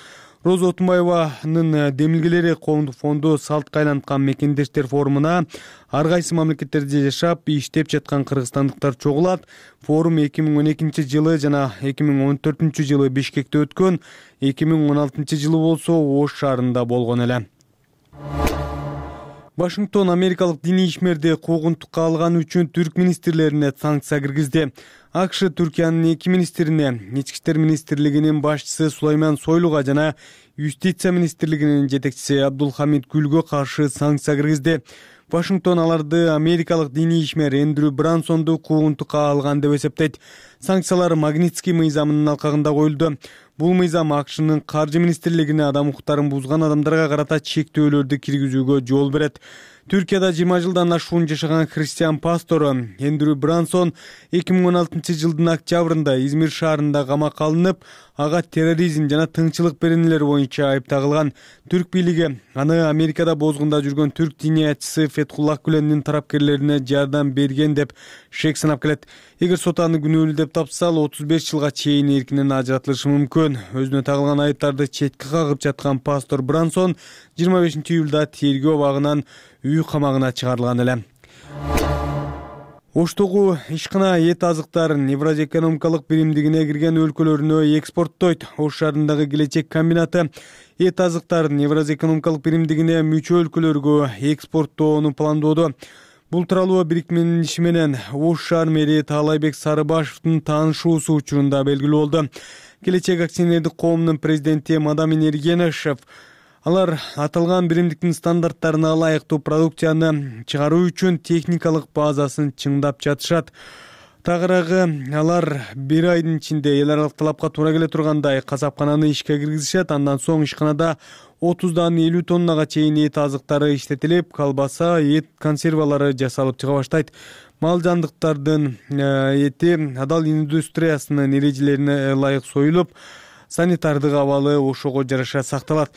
Роза Отунбаеванын демилгелери коомдук фонду салтка айланткан мекендештер форумуна ар кайсы мамлекеттерде жашап, иштеп жаткан кыргызстандыктар чогулат. Форум 2012 жылы жана 2014 жылы Бишкекте өткөн, 2016 жылы болсо Ош шаарында болгон эле. Вашингтон америкалык диний ишмерди куугунтукка алганы үчүн түрк министрлерине санкция киргизди. АКШ Түркиянын 2 министрине, Ички иштер министрлигинин башчысы Сулайман Сойлуга жана Юстиция министрлигинин жетекчиси Абдулхамид Гүлгө каршы санкция киргизди. Вашингтон аларды америкалык диний ишмер Эндрю Брансонду куугунтукка алган деп эсептейт. Санкциялар Магнитский мыйзамынын алкагында коюлду. Бул мыйзам АКШнын каржы министрлигине адам укуктарын бузган адамдарга карата чектөөлөрдү киргизүүгө жол берет. Түркияда 20 жылдан ашуун жашаган христиан пастору Эндрю Брансон 2016 жылдын октябрында Измир шаарында камакка алынып, ага терроризм жана тынччылык беренелери боюнча айыпталган. Түрк бийлиги аны Америкада бозгунда жүргөн түрк диниятчысы Фетхуллах Гүлендин тарапкерлерине жардам берген деп шек санап келет. Эгер сот аны күнөөлүү деп тапса, 35 жылга чейин эркинен ажыратылышы мүмкүн. Өзүнө тагылган айыптарды четке кагып жаткан пастор Брансон 25 июлда тергөө абагынан үй камагына чыгарылган эле. Оштогу ишкана эт азыктарын Евразия экономикалык биримдигине кирген өлкөлөрүнө экспорттойт. Ош шаарындагы Келечек комбинаты эт азыктарын Евразия экономикалык биримдигине мүчө өлкөлөргө экспорттоону пландоодо. Бул тууралуу бириктименин иши менен Ош шаар мэри Таалайбек Сарыбашевдин таанышуусу учурунда белгилүү болду. Келечек акционердик коомунун президенти Мадамин Эргенешев алар аталган биримдиктин стандарттарына ылайыктуу продукцияны чыгаруу үчүн техникалык базасын чыңдап жатышат. Тагыраагы алар бир айдын ичинде эл аралык талапка туура келе тургандай касапкананы ишке киргизишет. Андан соң ишканада 30дан 50 тоннага чейин эт азыктары иштетилип, колбаса, эт консервалары жасалып чыга баштайт. Мал жандыктардын эти адал индустриясынын эрежелерине ылайык союлуп, санитардык абалы ошого жараша сакталат.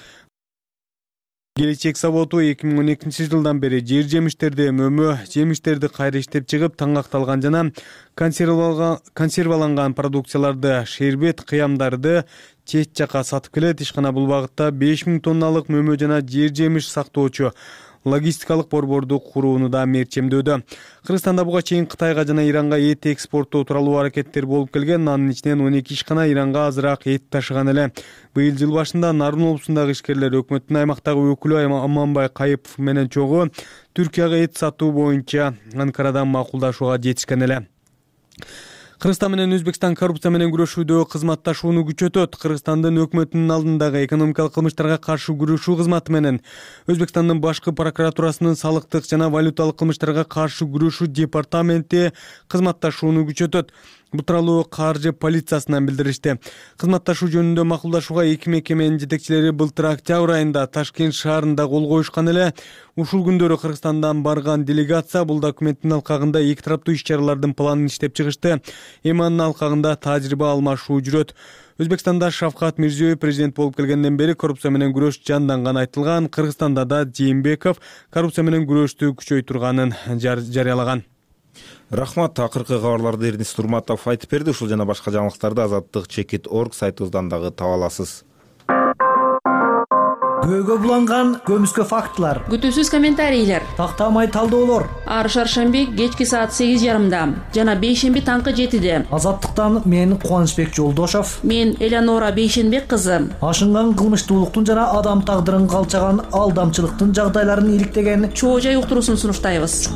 Келечек заводу 2012 жылдан бери жер жемиштерди, мөмө жемиштерди кайра иштеп чыгып, таңакталган жана консерваланган продукцияларды, шербет, кыямдарды чет жака сатып келет. Ишкана бул багытта 5000 тонналык мөмө жана жер жемиш сактоочу логистикалык борборду курууну да мерчемдөөдө. Кыргызстанда буга чейин Кытайга жана Иранга эт экспорттоо тууралуу аракеттер болуп келген. Анын ичинен 12 ишкана Иранга азыраак эт ташыган эле. Быйыл жыл башында Нарын облусундагы ишкерлер өкмөттүн аймактагы өкүлү Аманбай Кайыпов менен чогуу Түркияга эт сатуу боюнча Анкарадан макулдашууга жетишкен эле. Кыргызстан менен Өзбекстан коррупция менен күрөшүүдө кызматташууну күчөтөт. Кыргызстандын өкмөтүнүн алдындагы экономикалык кылмыштарга каршы күрөшүү кызматы менен Өзбекстандын башкы прокуратурасынын салыктык жана валюталык кылмыштарга каршы күрөшүү департаменти кызматташууну күчөтөт. Бул тууралуу каржы полициясынан билдиришти. Кызматташуу жөнүндө макулдашууга эки мекеменин жетекчилери былтыр октябрь айында Ташкент шаарында кол коюшкан эле. Ушул күндөрү Кыргызстандан барган делегация бул документтин алкагында эки тараптуу иш-чаралардын планын иштеп чыгышты. Эми анын алкагында тажрыйба алмашуу жүрөт. Өзбекстанда Шавкат Мирзиёев президент болуп келгенден бери коррупция менен күрөш жанданган айтылган. Кыргызстанда да Жээнбеков коррупция менен күрөштү күчөйтүрганын жарыялаган. Рахмат, акыркы кабарларды Эрдинис Турматов айтып берди. Ушул жана башка жаңылыктарды azattik.org сайтыбыздан дагы таба аласыз. Көйгө буланган көмүскө фактылар, күтүүсүз комментарийлер, тактамай талдоолор ар шаршемби кечки саат 8:30 жана бейшемби таңкы 7-де. Азаттыктан мен Кубанычбек Жолдошов, мен Элеонора Бейшенбек кызы. Ашынган кылмыштуулуктун жана адам тагдырын калчаган алдамчылыктын жагдайларын иликтеген Чоо жай уктуруусун сунуштайбыз.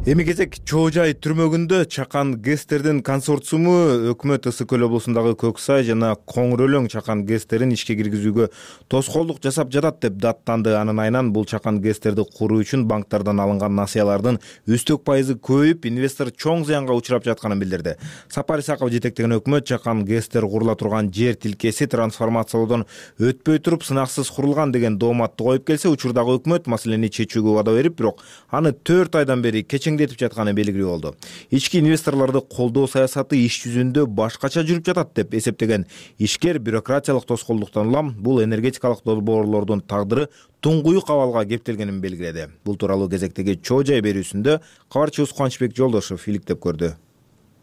Эми кезек Чоо жай түрмөгүндө Чакан ГЭСтердин консорциуму өкмөт Ысык-Көл облусундагы Көксай жана Коңур Өлөң Чакан ГЭСтерин ишке киргизүүгө тоскоолдук жасап жатат деп даттанды. Анын айынан бул Чакан ГЭСтерди куруу үчүн банктардан алынган насыялардын үстөк пайызы көбөйүп, инвестор чоң зыянга учурап жатканын билдирди. Сапар Исаков жетектеген өкмөт Чакан ГЭСтер курула турган жер тилкеси трансформациялоодон өтпөй туруп сынаксыз курулган деген дооматты коюп келсе, учурдагы өкмөт маселени чечүүгө убада берип, бирок аны 4 айдан бери этип жатканы белгилүү болду. Ички инвесторлорду колдоо саясаты иш жүзүндө башкача жүрүп жатат деп эсептеген ишкер бюрократиялык тоскоолдуктан улам бул энергетикалык долбоорлордун тагдыры туңгуюк абалга кептелгенин белгиледи. Бул тууралуу кезектеги Чоо жай берүүсүндө кабарчыбыз Кубанычбек Жолдошов иликтеп көрдү.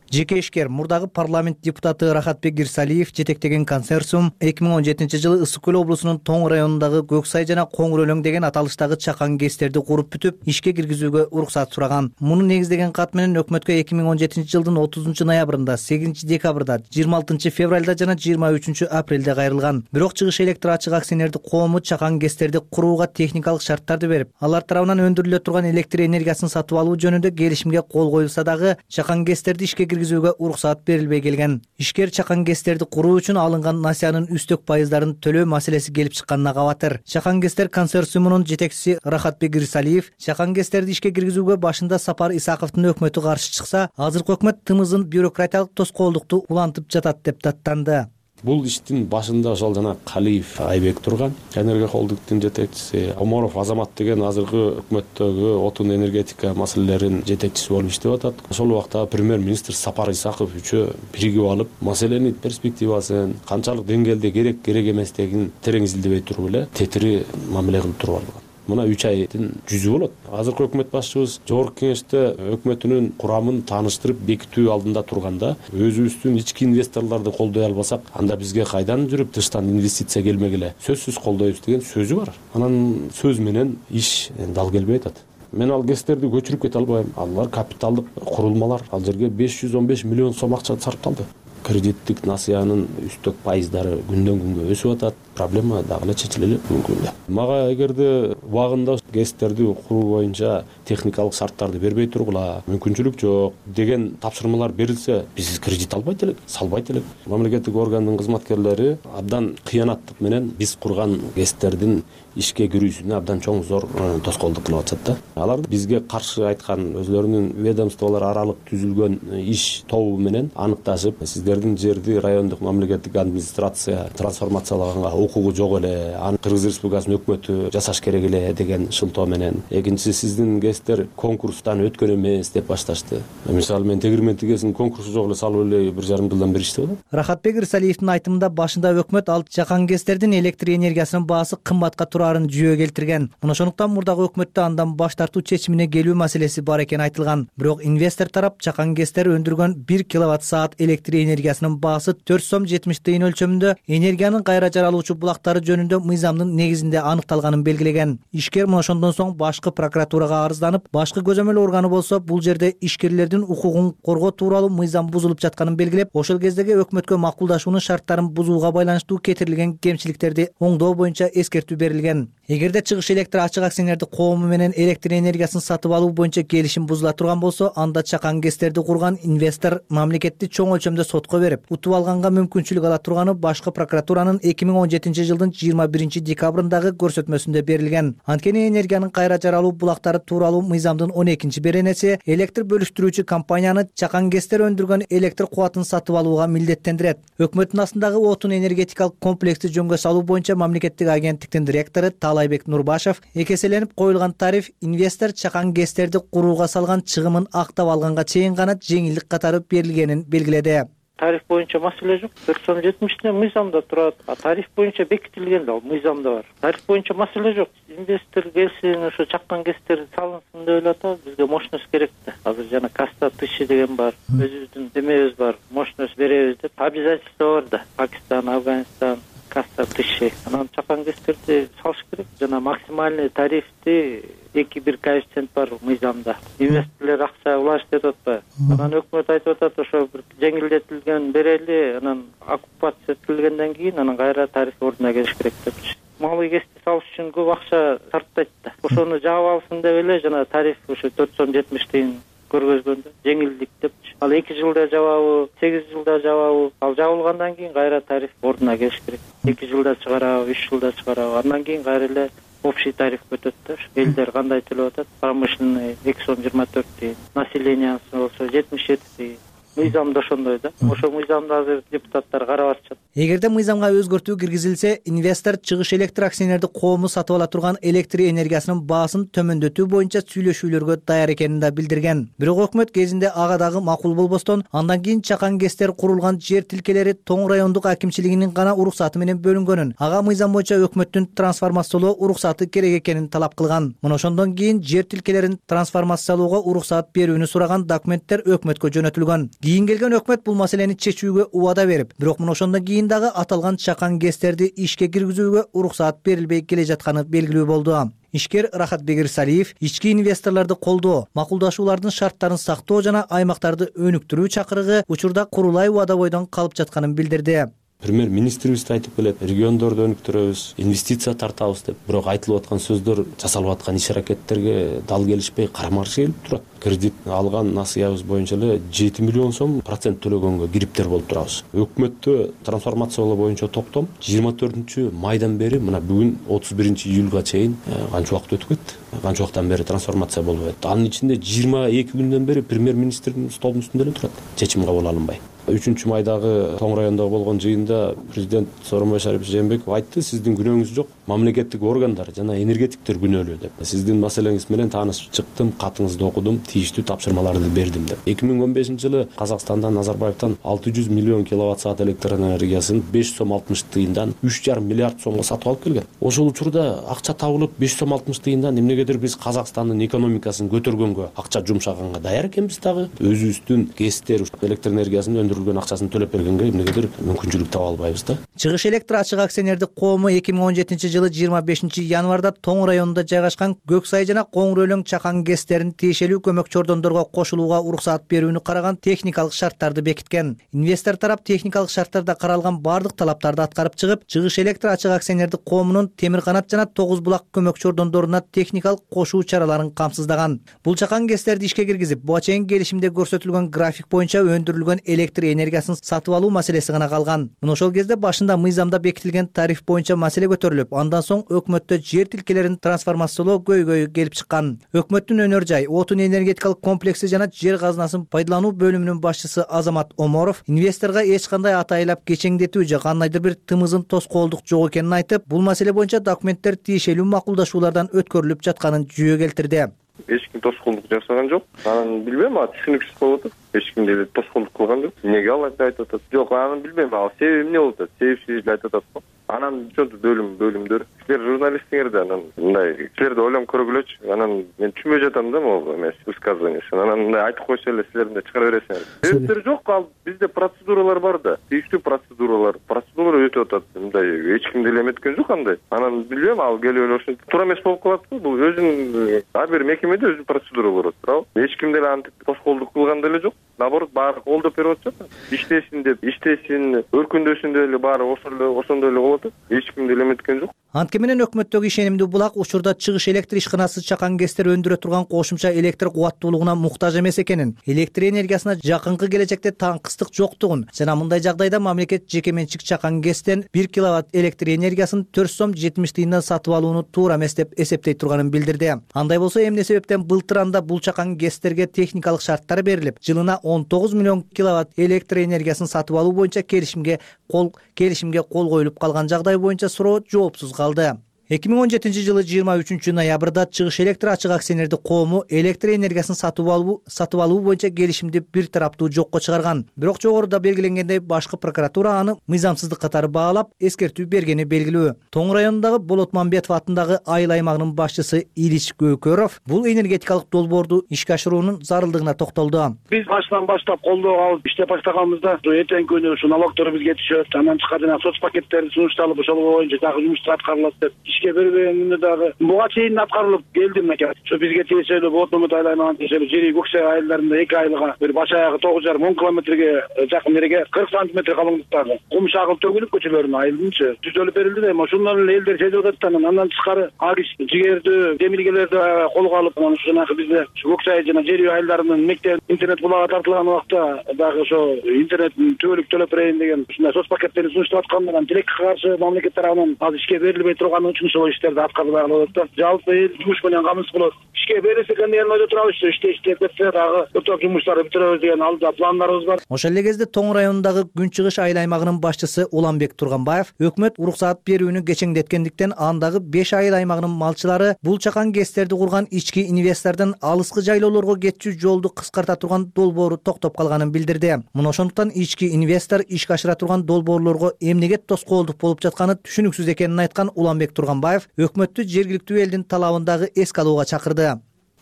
Жеке ишкер мурдагы парламент депутаты Рахатбек Ирсалиев жетектеген консорциум 2017 жылы Ысык-Көл облусунун Тоң районундагы Көксай жана Коңур Өлөң деген аталыштагы Чакан ГЭСтерди куруп бүтүп, ишке киргизүүгө уруксат сураган. Муну негиздеген кат менен өкмөткө 2017 жылдын 30 ноябрында, 8 декабрда, 26 февралда жана 23 апрелде кайрылган. Бирок Чыгыш электр ачык акционердик коому Чакан ГЭСтерди курууга техникалык шарттарды берип, алар тарабынан өндүрүлө турган электр энергиясын сатып алуу жөнүндө келишимге кол коюлса дагы Чакан ГЭСтерди ишке киргизүүгө уруксат берилбей келген. Ишкер Чакан ГЭСтерди куруу үчүн алынган насыянын үстөк пайыздарын төлөө маселеси келип чыкканына кабатыр. Чакан ГЭСтер консорциумунун жетекчиси Рахатбек Ирсалиев Чакан ГЭСтерди ишке киргизүүгө башында Сапар Исаковдун өкмөтү каршы чыкса, азыркы өкмөт тымызын бюрократиялык тоскоолдукту улантып жатат деп даттанды. Бул иштин башында ошол жана Калиев Айбек турган, энергия холдингдин жетекчиси, Оморов Азамат деген азыркы өкмөттөгү отун энергетика маселелеринин жетекчиси болуп иштеп атат. Ошол убакта премьер-министр Сапар Исаков үчөө биригип алып, маселенин перспективасын, канчалык деңгээлде керек эместигин терең изилдебей туруп эле тетири мамиле кылып туруп алган. Мына 3 айдын жүзү болот. Азыркы өкмөт башчыбыз жогорку кеңеште өкмөтүнүн курамын тааныштырып бекитүү алдында турганда, өзүбүздүн ички инвесторлорду колдой албасак, анда бизге кайдан жүрүп тыштан инвестиция келмегиле? Сөзсүз колдойбуз деген сөзү бар. Анан сөз менен иш дал келбей атат. Мен ал КЭСтерди көчүрүп кете албайм. Алар капиталдык курулмалар. Ал жерге 515 миллион сом акча сарпталды. Кредиттик насыянын үстөк пайыздары күндөн күнгө өсүп атат. Проблема дагы эле чечилели мүмкүн да. Мага эгерде убагында КЭСтерди куруу боюнча техникалык шарттарды бербей тургула, мүмкүнчүлүк жок деген тапшырмалар берилсе, биз кредит албайт элек, салбайт элек. Мамлекеттик органдын кызматкерлери абдан кыянаттык менен биз курган КЭСтердин ишке кирүүсүнө абдан чоң зор тоскоолдук кылып атышат да. Алар бизге каршы айткан өзлөрүнүн ведомстволор аралык түзүлгөн иш тобу менен аныкташып, сиздердин жерди райондук мамлекеттик администрация трансформациялаганга укугу жок эле, аны Кыргыз Республикасынын өкмөтү жасаш керек эле деген шылтоо менен. Экинчиси, сиздин КЭСтер конкурстан өткөн эмес деп башташты. Мисалы мен тегирмен тигесин конкурсу жок эле салып эле 1,5 жылдан бери иштеп атам. Рахатбек Ирсалиевдин айтымында башында өкмөт ал жакан КЭСтердин электр энергиясынын баасы кымбатка турарын жүйө келтирген. Мына ошондуктан мурдагы өкмөттө андан баш тартуу чечимине келүү маселеси бар экени айтылган. Бирок инвестор тарап жакан КЭСтер өндүргөн 1 киловатт-саат электр энергиясынын баасы 4 сом 70 тыйын өлчөмүндө энергиянын кайра жаралуучу булактары жөнүндө мыйзамдын негизинде аныкталганын белгилеген. Ишкер мына ошондон соң башкы прокуратурага арызданып, башкы көзөмөл органы болсо бул жерде ишкерлердин укугун коргоо тууралуу мыйзам бузулуп жатканын белгилеп, ошол кездеги өкмөткө макулдашуунун шарттарын бузууга байланыштуу кетирилген кемчиликтерди оңдоо боюнча эскертүү берилген. Эгерде Чыгыш электр ачык акционердик коому менен электр энергиясын сатып алуу боюнча келишим бузула турган болсо, анда чакан КЭСтерди курган инвестор мамлекетти чоң өлчөмдө сотко берип, утуп алганга мүмкүнчүлүк ала турганы башкы прокуратуранын 2017 жылдын 21 декабрындагы көрсөтмөсүндө берилген. Анткени энергиянын кайра жаралуу булактары тууралуу мыйзамдын 12 беренеси электр бөлүштүрүүчү компанияны чакан КЭСтер өндүргөн электр кубатын сатып алууга милдеттендирет. Өкмөттүн астындагы отун энергетикалык комплексти жөнгө салуу боюнча мамлекеттик агенттиктин директору Таалайбек Нурбашев экеселенип коюлган тариф инвестор чакан КЭСтерди курууга салган чыгымын актап алганга чейин гана жеңилдик катары берилгенин белгиледи. Тариф боюнча маселе жок. 4 сом 70 мыйзамда турат. Тариф боюнча бекитилген да, мыйзамда бар. Тариф боюнча маселе жок. Инвестор келсин, ошо чакан КЭСтер салынсын деп атат. Бизге мощность керек да. Азыр жана каста тыши деген бар. Өзүбүздүн демебиз бар. Мощность беребиз деп обязательство бар да. Пакистан, Афганистан, каста тыши. Анан чакан КЭСтерди салыш керек. Жана максимальный тарифти 2-1 коэффициент бар мыйзамда. Инвесторлор акча улаш деп атпайбы? Анан өкмөт айтып атат, ошо бир жеңилдетилген берели, анан оккупация этилгенден кийин анан кайра тариф ордуна келиш керек депчи. Малый КЭСти салыш үчүн көп акча сарптайт да. Ошону жаап алсын деп эле жана тариф ошо 4 сом 70 тыйын көргөзгөндө жеңилдик депчи. Ал 2 жылда жабабы, 8 жылда жабабы, ал жабылгандан кийин кайра тариф ордуна келиш керек. 2 жылда чыгарабы, 3 жылда чыгарабы, андан кийин кайра эле общий тариф өтөт да. Элдер кандай төлөп атат? Промышленный 2 сом 24 тыйын, населениясы болсо 77 тыйын. Мыйзамда ошондой да. Ошо мыйзамды азыр депутаттар карап атышат. Эгерде мыйзамга өзгөртүү киргизилсе, инвестор Чыгыш электр акционердик коому сатып ала турган электр энергиясынын баасын төмөндөтүү боюнча сүйлөшүүлөргө даяр экенин да билдирген. Бирок өкмөт кезинде ага дагы макул болбостон, андан кийин чакан КЭСтер курулган жер тилкелери Тоң райондук акимчилигинин гана уруксаты менен бөлүнгөнүн, ага мыйзам боюнча өкмөттүн трансформациялоо уруксаты керек экенин талап кылган. Мына ошондон кийин жер тилкелерин трансформациялоого уруксат берүүнү сураган документтер өкмөткө жөнөтүлгөн. Кийин келген өкмөт бул маселени чечүүгө убада берип, бирок мына ошондон кийин дагы аталган чакан КЭСтерди ишке киргизүүгө уруксат берилбей келе жатканы белгилүү болду. Ишкер Рахатбек Ирсалиев ички инвесторлорду колдоо, макулдашуулардын шарттарын сактоо жана аймактарды өнүктүрүү чакырыгы учурда курулай убада бойдон калып жатканын билдирди. Премьер-министрибиз да айтып келет, региондорду өнүктүрөбүз, инвестиция тартабыз деп. Бирок айтылып аткан сөздөр, жасалып аткан иш-аракеттерге дал келишпей, карама-каршы келип турат. Кредит алган насыябыз боюнча эле 7 миллион сом процент төлөгөнгө кириптер болуп турабыз. Өкмөттө трансформациялоо боюнча токтом 24 майдан бери мына бүгүн 31 июлга чейин канча убакыт өтүп кетти. Канча убакыттан бери трансформация болуп атты. Анын ичинде 22 күндөн бери премьер-министрдин столунун үстүндө эле турат. Чечим кабыл алынбай. 3 майдагы Тоң районундагы болгон жыйында президент Сооронбай Жээнбеков айтты, сиздин күнөөңүз жок, мамлекеттик органдар жана энергетиктер күнөөлүү деп. Сиздин маселеңиз менен таанышып чыктым, катыңызды окудум, тийиштүү тапшырмаларды бердим деп. 2015-жылы Казакстандан Назарбаевтан 600 миллион киловатт саат электр энергиясын 5 сом 60 тыйындан 3,5 миллиард сомго сатып алып келген. Ошол учурда акча табылып 5 сом 60 тыйындан эмнегедир биз Казакстандын экономикасын көтөргөнгө акча жумшаганга даяр экенбиз дагы. Өзүбүздүн ГЭСтер электр энергиясынын өндүрүлгөн акчасын төлөп бергенге эмнегедир мүмкүнчүлүк таба албайбыз да. Чыгыш электр ачык акционердик коому 2017-жылы 25 январда Тоң районунда жайгашкан Көксай жана Коңур өлөң чакан ГЭСтерин тиешелүү көмөк чордондорго кошулууга уруксаат берүүнү караган техникалык шарттарды бекиткен. Инвестор тарап техникалык шарттарда каралган бардык талаптарды аткарып чыгып, Чыгыш электр ачык акционердик коомунун Темир канат жана Тогуз булак көмөк чордондоруна техникалык кошуу чараларын камсыздаган. Бул чакан ГЭСтерди ишке киргизип, буга чейин келишимде көрсөтүлгөн график боюнча өндүрүлгөн электр энергиясын сатып алуу маселеси гана калган. Мына ошол кезде башында мыйзамда бекитилген тариф боюнча маселе көтөрүлүп, андан соң өкмөттө жер тилкелерин трансформациялоо көйгөйү келип чыккан. Өкмөттүн өнөр жай, отун энергетикалык комплекси жана жер казынасын пайдалануу бөлүмүнүн башчысы Азамат Оморов инвесторго эч кандай атайлап кечеңдетүү же кандайдыр бир тымызын тоскоолдук жок экенин айтып, бул маселе боюнча документтер тиешелүү макулдашуулардан өткөрүлүп жатканын жүйө келтирди. Эч ким тоскоолдук жасаган жок. Анан билбейм, түшүнүксүз болуп атат. Эч ким деле тоскоолдук кылган жок. Эмнеге ал айтып атат? Жок, анан билбейм, ал себеби эмне болуп атат? Себепсиз эле айтып атат го. Анан ошентип бөлүмдөр. Силер журналисттер да анан мындай силерди ойлонуп көргүлөчү. Анан мен түшүнбөй жатам да могу эмес высказываниесин. Анан мындай айтып койсо эле силер мындай чыгара бересиңер. Себептери жок, ал бизде процедуралар бар да. Тийиштүү процедуралар өтүп атат. Мындай эч ким деле эметкен жок андай. Анан билбейм, ал келип эле ошентип туура эмес болуп калат го. Бул өзүнүн ар бир мекемеде өзүнүн процедуралары бар, туурабы? Эч ким деле антип тоскоолдук кылган деле жок. Наоборот, баары колдоп берип атышат. Иштесин деп, иштесин, өркүндөсүн деп эле баары ошондой эле болуп атат. Эч ким деле эметкен жок. Антке менен өкмөттөгү ишенимдүү булак учурда Чыгыш электр ишканасы чакан ГЭСтер өндүрө турган кошумча электр кубаттуулугуна муктаж эмес экенин, электр энергиясына жакынкы келечекте таңкыстык жоктугун жана мындай жагдайда мамлекет жеке менчик чакан ГЭСтен 1 киловатт электр энергиясын 4 сом 70 тыйындан сатып алууну туура эмес деп эсептей турганын билдирди. Андай болсо эмне себептен былтыр анда бул чакан ГЭСтерге техникалык шарттар берилип, жылына 19 миллион киловатт электр энергиясын сатып алуу боюнча келишимге кол коюлуп калган жагдай боюнча суроо жоопсуз калды. 2017-жылы 23 ноябрда Чыгыш электр ачык акционердик коому электр энергиясын сатып алуу боюнча келишимди бир тараптуу жокко чыгарган. Бирок жогоруда белгиленгендей башкы прокуратура аны мыйзамсыздык катары баалап, эскертүү бергени белгилүү. Тоң районундагы Болот Мамбетов атындагы айыл аймагынын башчысы Илич Көкөров бул энергетикалык долбоорду ишке ашыруунун зарылдыгына токтолду. Биз баштан баштап колдоо алып иштеп баштаганбызда эртеңки күнү ушу налогдор бизге түшөт, андан тышкары жана соц пакеттери сунушталып, ошол боюнча дагы жумуштар аткарылат деп ишке бербегенде дагы буга чейин аткарылып келди мынакей. Ушу бизге тиешелүү Болот айыл аймагына тиешелүү жери Көксай айылдарында 2 айылга бир баш аягы 9,5-10 километрге жакын жерге 40 сантиметр калыңдыктагы кум шагыл төгүлүп көчөлөрүнө айылдынчы түзөлүп берилди да, ошондон эле элдер сезип атат. Андан тышкары агис жигердүү демилгелерди колго алып, ошо жанагы бизде Көксай жана жери айылдарынын мектеп интернет булагы тартылган убакта дагы ошо интернеттин түбөлүк төлөп берейин деген ушундай соц пакеттерди сунуштап аткандан тилекке каршы мамлекет тарабынан азыр ишке берилбей турганы үчүн ошол иштерди аткарбай калып атат да. Жалпы эл жумуш менен камсыз болот. Ишке берилсе экен деген ойдо турабыз. Иштеп кетсе дагы өтөк жумуштарды бүтүрөбүз деген алдыда пландарыбыз бар. Ошол эле кезде Тоң районундагы Күнчыгыш айыл аймагынын башчысы Уланбек Турганбаев өкмөт уруксаат берүүнү кечеңдеткендиктен андагы 5 айыл аймагынын малчылары бул чакан ГЭСтерди курган ички инвестордун алыскы жайлоолорго кетчү жолду кыскарта турган долбоору токтоп калганын билдирди. Мына ошондуктан ички инвестор ишке ашыра турган долбоорлорго эмнеге тоскоолдук болуп жатканы түшүнүксүз экенин айткан Уланбек Турганбаев өкмөттү жергиликтүү элдин талабын дагы эске алууга чакырды.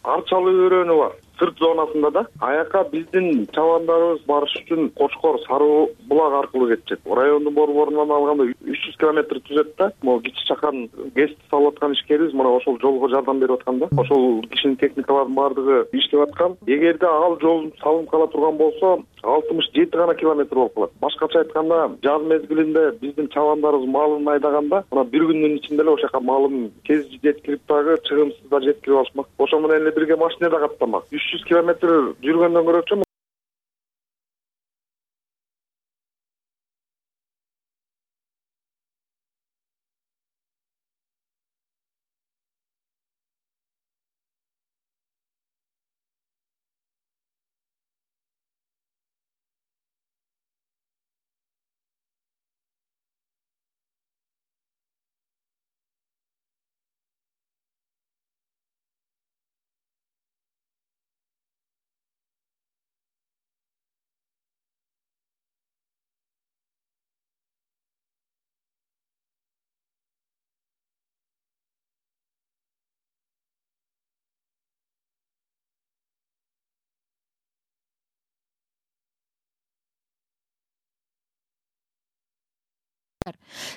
Арчалуу өрөөнү бар. Сырт зонасында да аяка биздин чабандарыбыз барыш үчүн Кочкор, Сары булак аркылуу кетишет. Райондун борборунан алганда 300 километр түзөт да. Могу кичи чакан ГЭСти салып аткан ишкерибиз мына ошол жолго жардам берип аткан да. Ошол кишинин техникаларынын баардыгы иштеп аткан. Эгерде ал жол салынып кала турган болсо 67 гана километр болуп калат. Башкача айтканда, жаз мезгилинде биздин чабандарыбыз малын айдаганда, мына бир күндүн ичинде эле ошол жака малын тез жеткирип дагы чыгымсыз да жеткирип алышмак. Ошо менен эле бирге машина да каттамак. 300 километр жүргөндөн көрөчү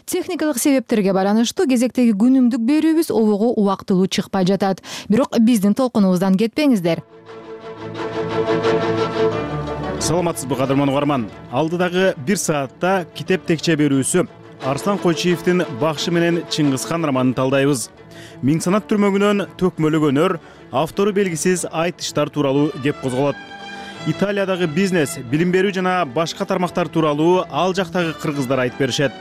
Техникалык себептерге байланыштуу кезектеги күнүмдүк берүүбүз обого убактылуу чыкпай жатат. Бирок биздин толкунубуздан кетпеңиздер. Саламатсызбы кадырман угарман. Алдыдагы 1 саатта китеп текче берүүсү Арслан Койчиевдин Бакшы менен Чыңгызхан романын талдайбыз. Миң санат түрмөгүнөн төкмөлөгөнөр, автору белгисиз айтыштар тууралуу кеп козголот. Италиядагы бизнес, билим берүү жана башка тармактар тууралуу ал жактагы кыргыздар айтып беришет.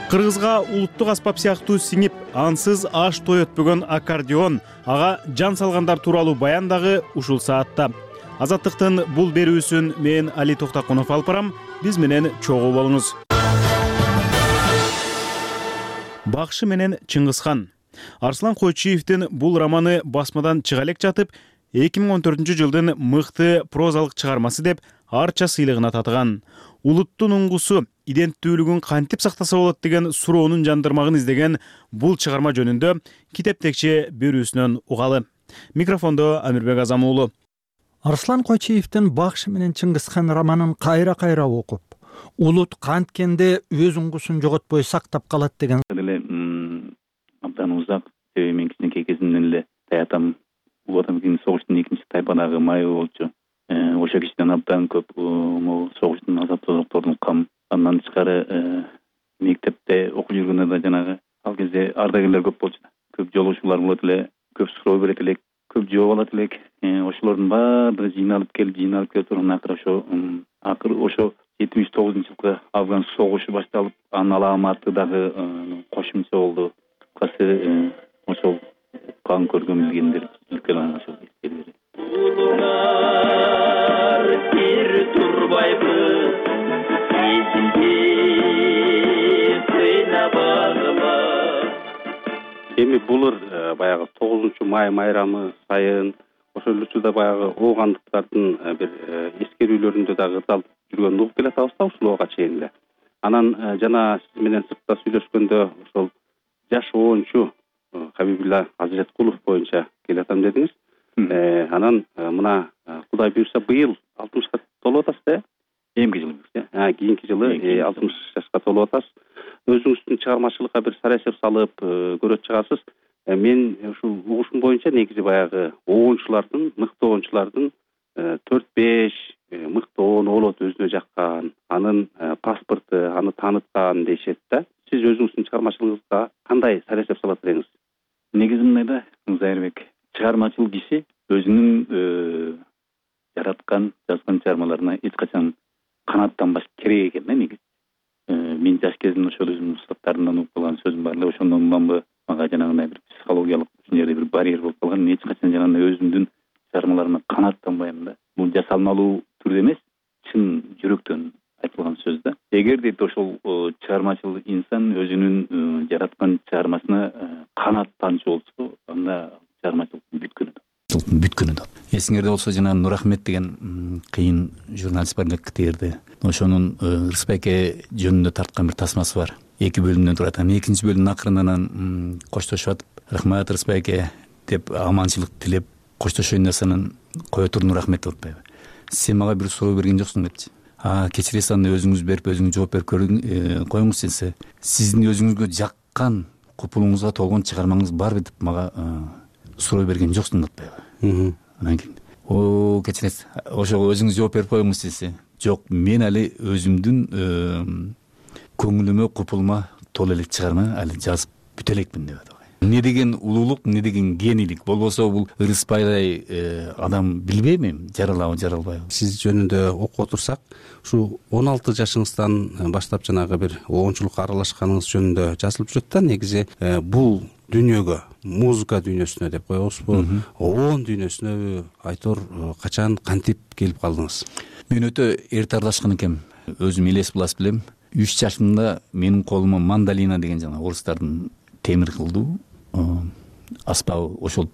Кыргызга улуттук аспап сыяктуу сиңип, ансыз аш той өтпөгөн аккордеон, ага жан салгандар тууралуу баян дагы ушул саатта. Азаттыктын бул берүүсүн мен Али Токтакунов алып барам. Биз менен чогуу болуңуз. Бакшы менен Чыңгызхан. Арслан Койчиевдин бул романы басмадан чыга элек жатып, 2014-жылдын мыкты прозалык чыгармасы деп арча сыйлыгына татыган. Улуттун уңгусу, иденттүүлүгүн кантип сактаса болот деген суроонун жандырмагын издеген бул чыгарма жөнүндө китеп текче берүүсүнөн угалы. Микрофондо Амирбек Азам уулу. Арслан Койчиевдин Бакшы менен Чыңгызхан романын кайра окуп, улут канткенде өз уңгусун жоготпой сактап калат деген абдан узак, себеби мен кичинекей кезимден эле таятам Улуу Отан согуштун экинчи тайпадагы майы болчу. Ошо кишиден абдан көп могу согуштун азаптуулукторун уккам. Андан тышкары мектепте окуп жүргөндө да жанагы ал кезде ардагерлер көп болчу. Көп жолугушуулар болот эле, көп суроо берет элек, көп жооп алат элек. Ошолордун баардыгы жыйналып келип турган акыры ошо 79-жылкы Афган согушу башталып, анын аламаты дагы кошумча болду. Касы ошол кан көргөн билгендер үлкен ошол эстелери. Улуулар бир турбайбы, эсинде сыйнабагыба. Эми булыр баягы 9-май майрамы сайын ошол учурда баягы оогандыктардын бир эскерүүлөрүндө дагы ырдалып жүргөнүн угуп келатабыз да ушул оога чейин эле. Анан жана сиз менен сыртта сүйлөшкөндө ошол жаш оончу Хабибулла Азиреткулов боюнча келатам дедиңиз. Анан мына Кудай буйрса быйыл 60ка толуп атасыз да? Эмки жылы буйрса. Кийинки жылы 60 жашка толуп атасыз. Өзүңүздүн чыгармачылыкка бир сарайсеп салып көрөт чыгасыз. Мен ушул угушум боюнча негизи баягы оончулардын, мыкты оончулардын 4-5 мыкты оон болот өзүнө жаккан, анын паспорту, аны тааныткан дешет да. Сиз өзүңүздүн чыгармачылыгыңызга кандай сарайсеп салат элеңиз? Негизи мындай да, Зайырбек, чыгармачыл киши өзүнүн жараткан, жазган чыгармаларына эч качан канаттанбаш керек экен да негизи. Мен жаш кезимде ошол өзүмдүн устаттарымдан угуп калган сөзүм бар эле, ошондон улам мага жанагындай бир психологиялык ушул жерде бир барьер болуп калган. Эч качан жанагындай өзүмдүн чыгармаларыма канаттанбайм да. Бул жасалмалуу түрдө эмес, чын жүрөктөн айтылган сөз да. Эгер дейт ошол чыгармачыл инсан өзүнүн жараткан чыгармасына канаттанчу болсо, анда чыгармачылыктын бүткөнү да. Эсиңерде болсо жана Нур Ахмет деген кыйын журналист бар эле КТРде. Ошонун Рыспайке жөнүндө тарткан бир тасмасы бар. 2 бөлүмдөн турат. Экинчи бөлүмдүн акырынан коштошуп атып, рахмат Рыспайке деп аманчылык тилеп коштошоюн десенин кое тур Нур Ахмет атпайбы. Сен мага бир суроо берген жоксуң депчи. Кечиресиз, аны өзүңүз берип, өзүңүз жооп берип коюңуз десе, сиздин өзүңүзгө жаккан, купулуңузга толгон чыгармаңыз барбы деп мага суроо берген жоксуң деп атпайбы. Анан кийин кечиресиз, ошого өзүңүз жооп берип коюңуз десе, жок, мен али өзүмдүн көңүлүмө, купулума толо элек чыгарма али жазып бүтө элекмин деп атат. Не деген улуулук, не деген генийлик. Болбосо бул Рыспайдай адам билбейм, жаралабы, жаралбайбы. Сиз жөнүндө окуп отурсак, ушу 16 жашыңыздан баштап жанагы бир оончулукка аралашканыңыз жөнүндө жазылып жүрөт да. Негизи бул дүйнөгө, музыка дүйнөсүнө деп коебузбу, оон дүйнөсүнө айтор качан, кантип келип калдыңыз? Мен өтө эрте аралашкан экенмин. Өзүм элес булас билем. 3 жашымда менин колума мандолина деген жана орустардын темир кылдуу аспабы ошол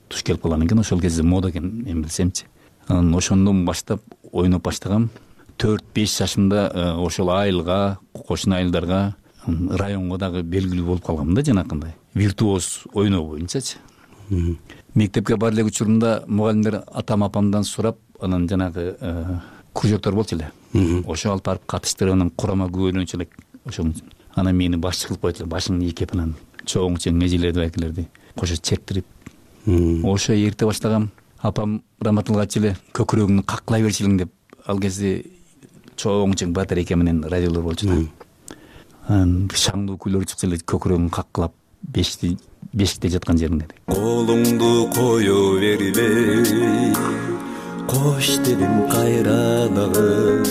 туш келип калган экен. Ошол кезде мода экен, мен билсемчи. Анан ошондон баштап ойноп баштагам. 4-5 жашымда ошол айылга, кошуна айылдарга, районго дагы белгилүү болуп калгам да, жанакындай виртуоз ойноо боюнчачы. Мектепке бар элек учурумда мугалимдер атам апамдан сурап, анан жанагы кружоктор болчу эле. Ошо алып барып катыштырып, анан курама күбөлөнчү элек ошол анан мени башчы кылып коет эле, башыңды ийкеп анан чоң эжелерди байкелерди кошо чектирип ошо эрте баштагам. Апам раматылга айтчу эле, көкүрөгүңдү каккылай берчү элең деп. Ал кезде чоң батарейка менен радиолор болчу да. Анан шаңдуу күйлөр чыкса эле көкүрөгүң каккылап бешикте жаткан жериңде. Колуңду кое бербей, кош дедим кайра дагы.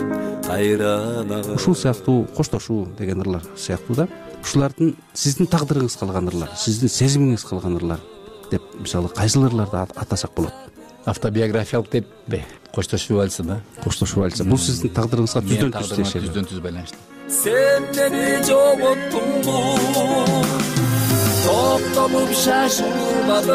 Ушул сыяктуу коштошуу деген ырлар сыяктуу да. Ушулардын сиздин тагдырыңыз калган ырлар, сиздин сезимиңиз калган ырлар деп мисалы кайсыл ырларды атасак болот? Автобиографиялык деппи? Коштошуу вальсы да. Коштошуу вальсы. Бул сиздин тагдырыңызга түздөн түз байланыштуу. Сен мени жоготтуңбу, токтолуп шашылбадым,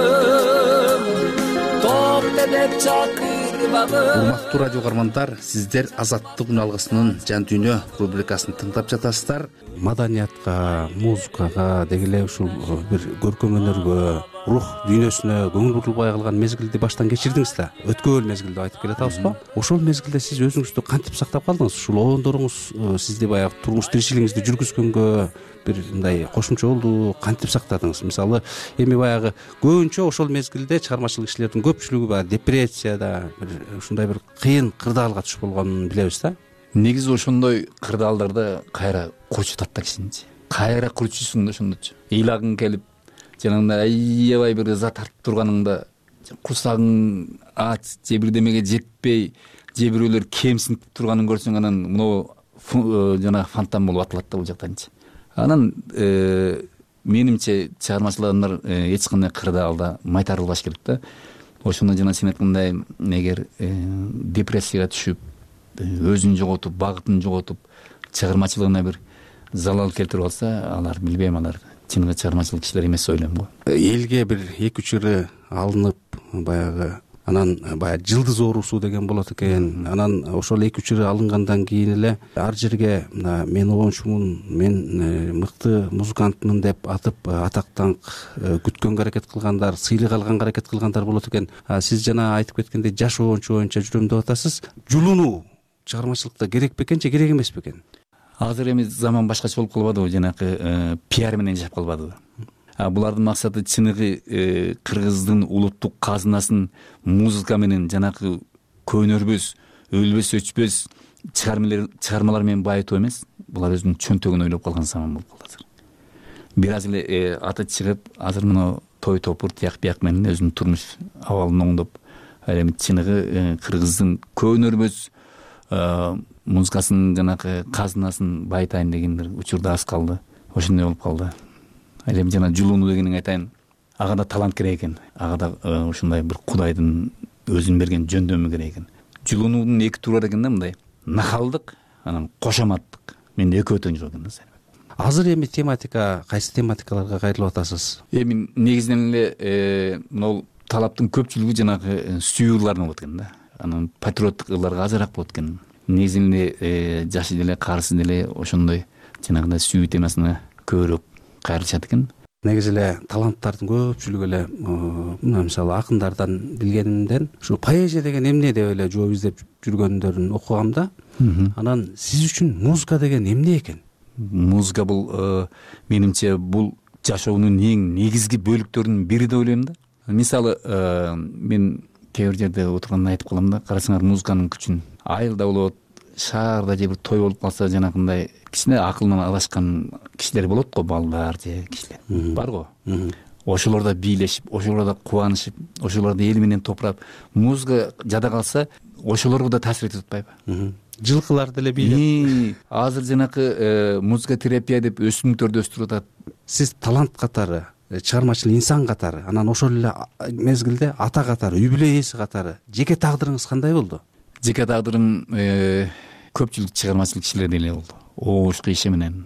токто деп чакырбадым. Урматтуу радио каармандар, сиздер Азаттык үн алгысынын Жан дүйнө рубрикасын тыңдап жатасыздар. Маданиятка, музыкага, деги эле ушул бир көркөм өнөргө, рух дүйнөсүнө көңүл бурулбай калган мезгилди баштан кечирдиңиз да. Өткөн мезгил деп айтып келатабызбы? Ошол мезгилде сиз өзүңүздү кантип сактап калдыңыз? Ушул обондоруңуз сизди баягы турмуш тиричилигиңизди жүргүзгөнгө бир мындай кошумча болду, кантип сактадыңыз? Мисалы, эми баягы көбүнчө ошол мезгилде чыгармачыл кишилердин көпчүлүгү баягы депрессияда, бир ушундай бир кыйын кырдаалга түшүп болгонун билебиз да. Негизи ошондой кырдаалдарда кайра курчутат да кишини. Кайра курчуйсуң да ошондочу. Ыйлагың келип, жанагындай аябай бир ыза тартып турганыңда курсагың ач, же бирдемеге жетпей, же бирөөлөр кемсинтип турганын көрсөң, анан мына жана фонтан болуп атылат да бул жактанчы. Анан менимче чыгармачыл адамдар эч кандай кырдаалда майтарылбаш керек да. Ошондо жана сен айткандай, эгер депрессияга түшүп, өзүн жоготуп, багытын жоготуп, чыгармачылыгына бир залал келтирип алса, алар билбейм, алар чыныгы чыгармачыл кишилер эмес ойлойм го. Элге бир 2-3 ыры алынып, баягы анан баягы жылдыз оорусу деген болот экен. Анан ошол 2-3 ыры алынгандан кийин эле ар жерге мен оончумун, мен мыкты музыкантмын деп атып атактан күткөнгө аракет кылгандар, сыйлык алганга аракет кылгандар болот экен. Сиз жана айтып кеткендей жаш оончу боюнча жүрөм деп атасыз. Жулунуу чыгармачылыкта керек бекен же керек эмес бекен? Азыр эми заман башкача болуп калбадыбы, жанакы пиар менен жашап калбадыбы? Булардын максаты чыныгы кыргыздын улуттук казынасын музыка менен, жанакы көнөрбөс, өлбөс, өчпөс чыгармалар менен байытуу эмес. Булар өзүнүн чөнтөгүн ойлоп калган заман болуп калды азыр. Бир аз эле аты чыгып, азыр мына той топур, тияк бияк менен өзүнүн турмуш абалын оңдоп, ал эми чыныгы кыргыздын көнөрбөс музыкасынын жанакы казынасын байытайын деген бир учурда аз калды. Ошондой болуп калды. Ал эми жана жулууну дегенин айтайын, ага да талант керек экен. Ага да ушундай бир кудайдын өзүн берген жөндөмү керек экен. Жулуунун 2 туру бар экен да, мындай нахалдык, анан кошоматтык. Мен экөө тең жок экен да. Азыр эми тематика, кайсы тематикаларга кайрылып атасыз? Эми негизинен эле могу талаптын көпчүлүгү жанагы сүйүүрлар болот экен да. Анан патриоттук ырларга азыраак болот экен. Негизинен эле жашы деле, карысы деле ошондой жанагындай сүйүү темасына көбүрөөк кайрылышат экен. Негизи эле таланттардын көпчүлүгү эле мына мисалы акындардан билгенимден ушу поэзия деген эмне деп эле жооп издеп жүргөндөрүн окугам да. Анан сиз үчүн музыка деген эмне экен? Музыка бул менимче бул жашоонун эң негизги бөлүктөрүнүн бири деп ойлойм да. Мисалы мен кээ бир жерде отурганда айтып калам да, карасаңар музыканын күчүн. Айылда болот, шаарда же бир той болуп калса, жанагындай кичине акылынан адашкан кишилер болот го, балдар же кишилер бар го. Ошолорда бийлешип, ошолорда кубанышып, ошолорду эл менен топурап, музыка жада калса, ошолорго да таасир этип атпайбы? Жылкылар деле бийлеп. Азыр жанакы музыка терапия деп өсүмдүктөрдү өстүрүп атат. Сиз талант катары, чыгармачыл инсан катары, анан ошол эле мезгилде ата катары, үй бүлө ээси катары жеке тагдырыңыз кандай болду? Жеке тагдырым көпчүлүк чыгармачыл кишилер деле болду. Оошку иши менен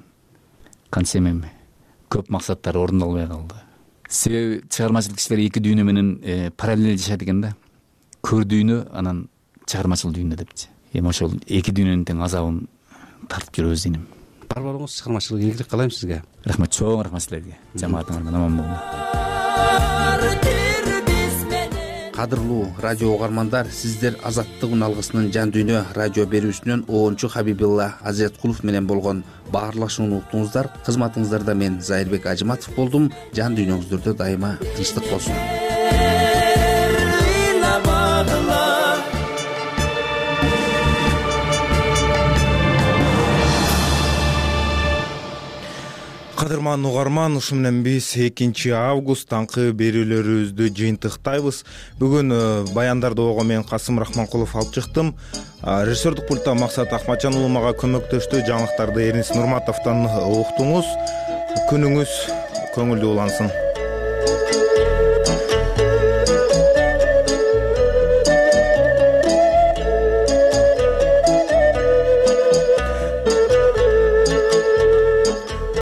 кантсем эми көп максаттар орундалбай калды. Себеби чыгармачыл кишилер 2 дүйнө менен параллель жашайт экен да. Көр дүйнө, анан чыгармачыл дүйнө депчи. Эми ошол 2 дүйнөнүн тең азабын тартып жүрөбүз дейм. Бар болуңуз, чыгармачылык ийгилик каалайм сизге. Рахмат, чоң рахмат силерге. Жамаатыңардан аман болуңар. кадырлуу радио угармандар, сиздер Азаттык үн алгысынын жан дүйнө радио берүүсүнөн Оончу Хабибилла Азиреткулов менен болгон баарлашууну уктуңуздар. Кызматыңыздарда мен Зайырбек Ажыматов болдум. Жан дүйнөңүздөрдө дайыма тынчтык болсун. Кадырман угарман, ушу менен биз 2 август таңкы берүүлөрүбүздү жыйынтыктайбыз. Бүгүн баяндарды ого мен Касым Рахманкулов алып чыктым. Режиссердик пультта Максат Акматжан уулу мага көмөктөштү. Жаңылыктарды Эрнис Нурматовдон уктуңуз. Күнүңүз көңүлдүү улансын.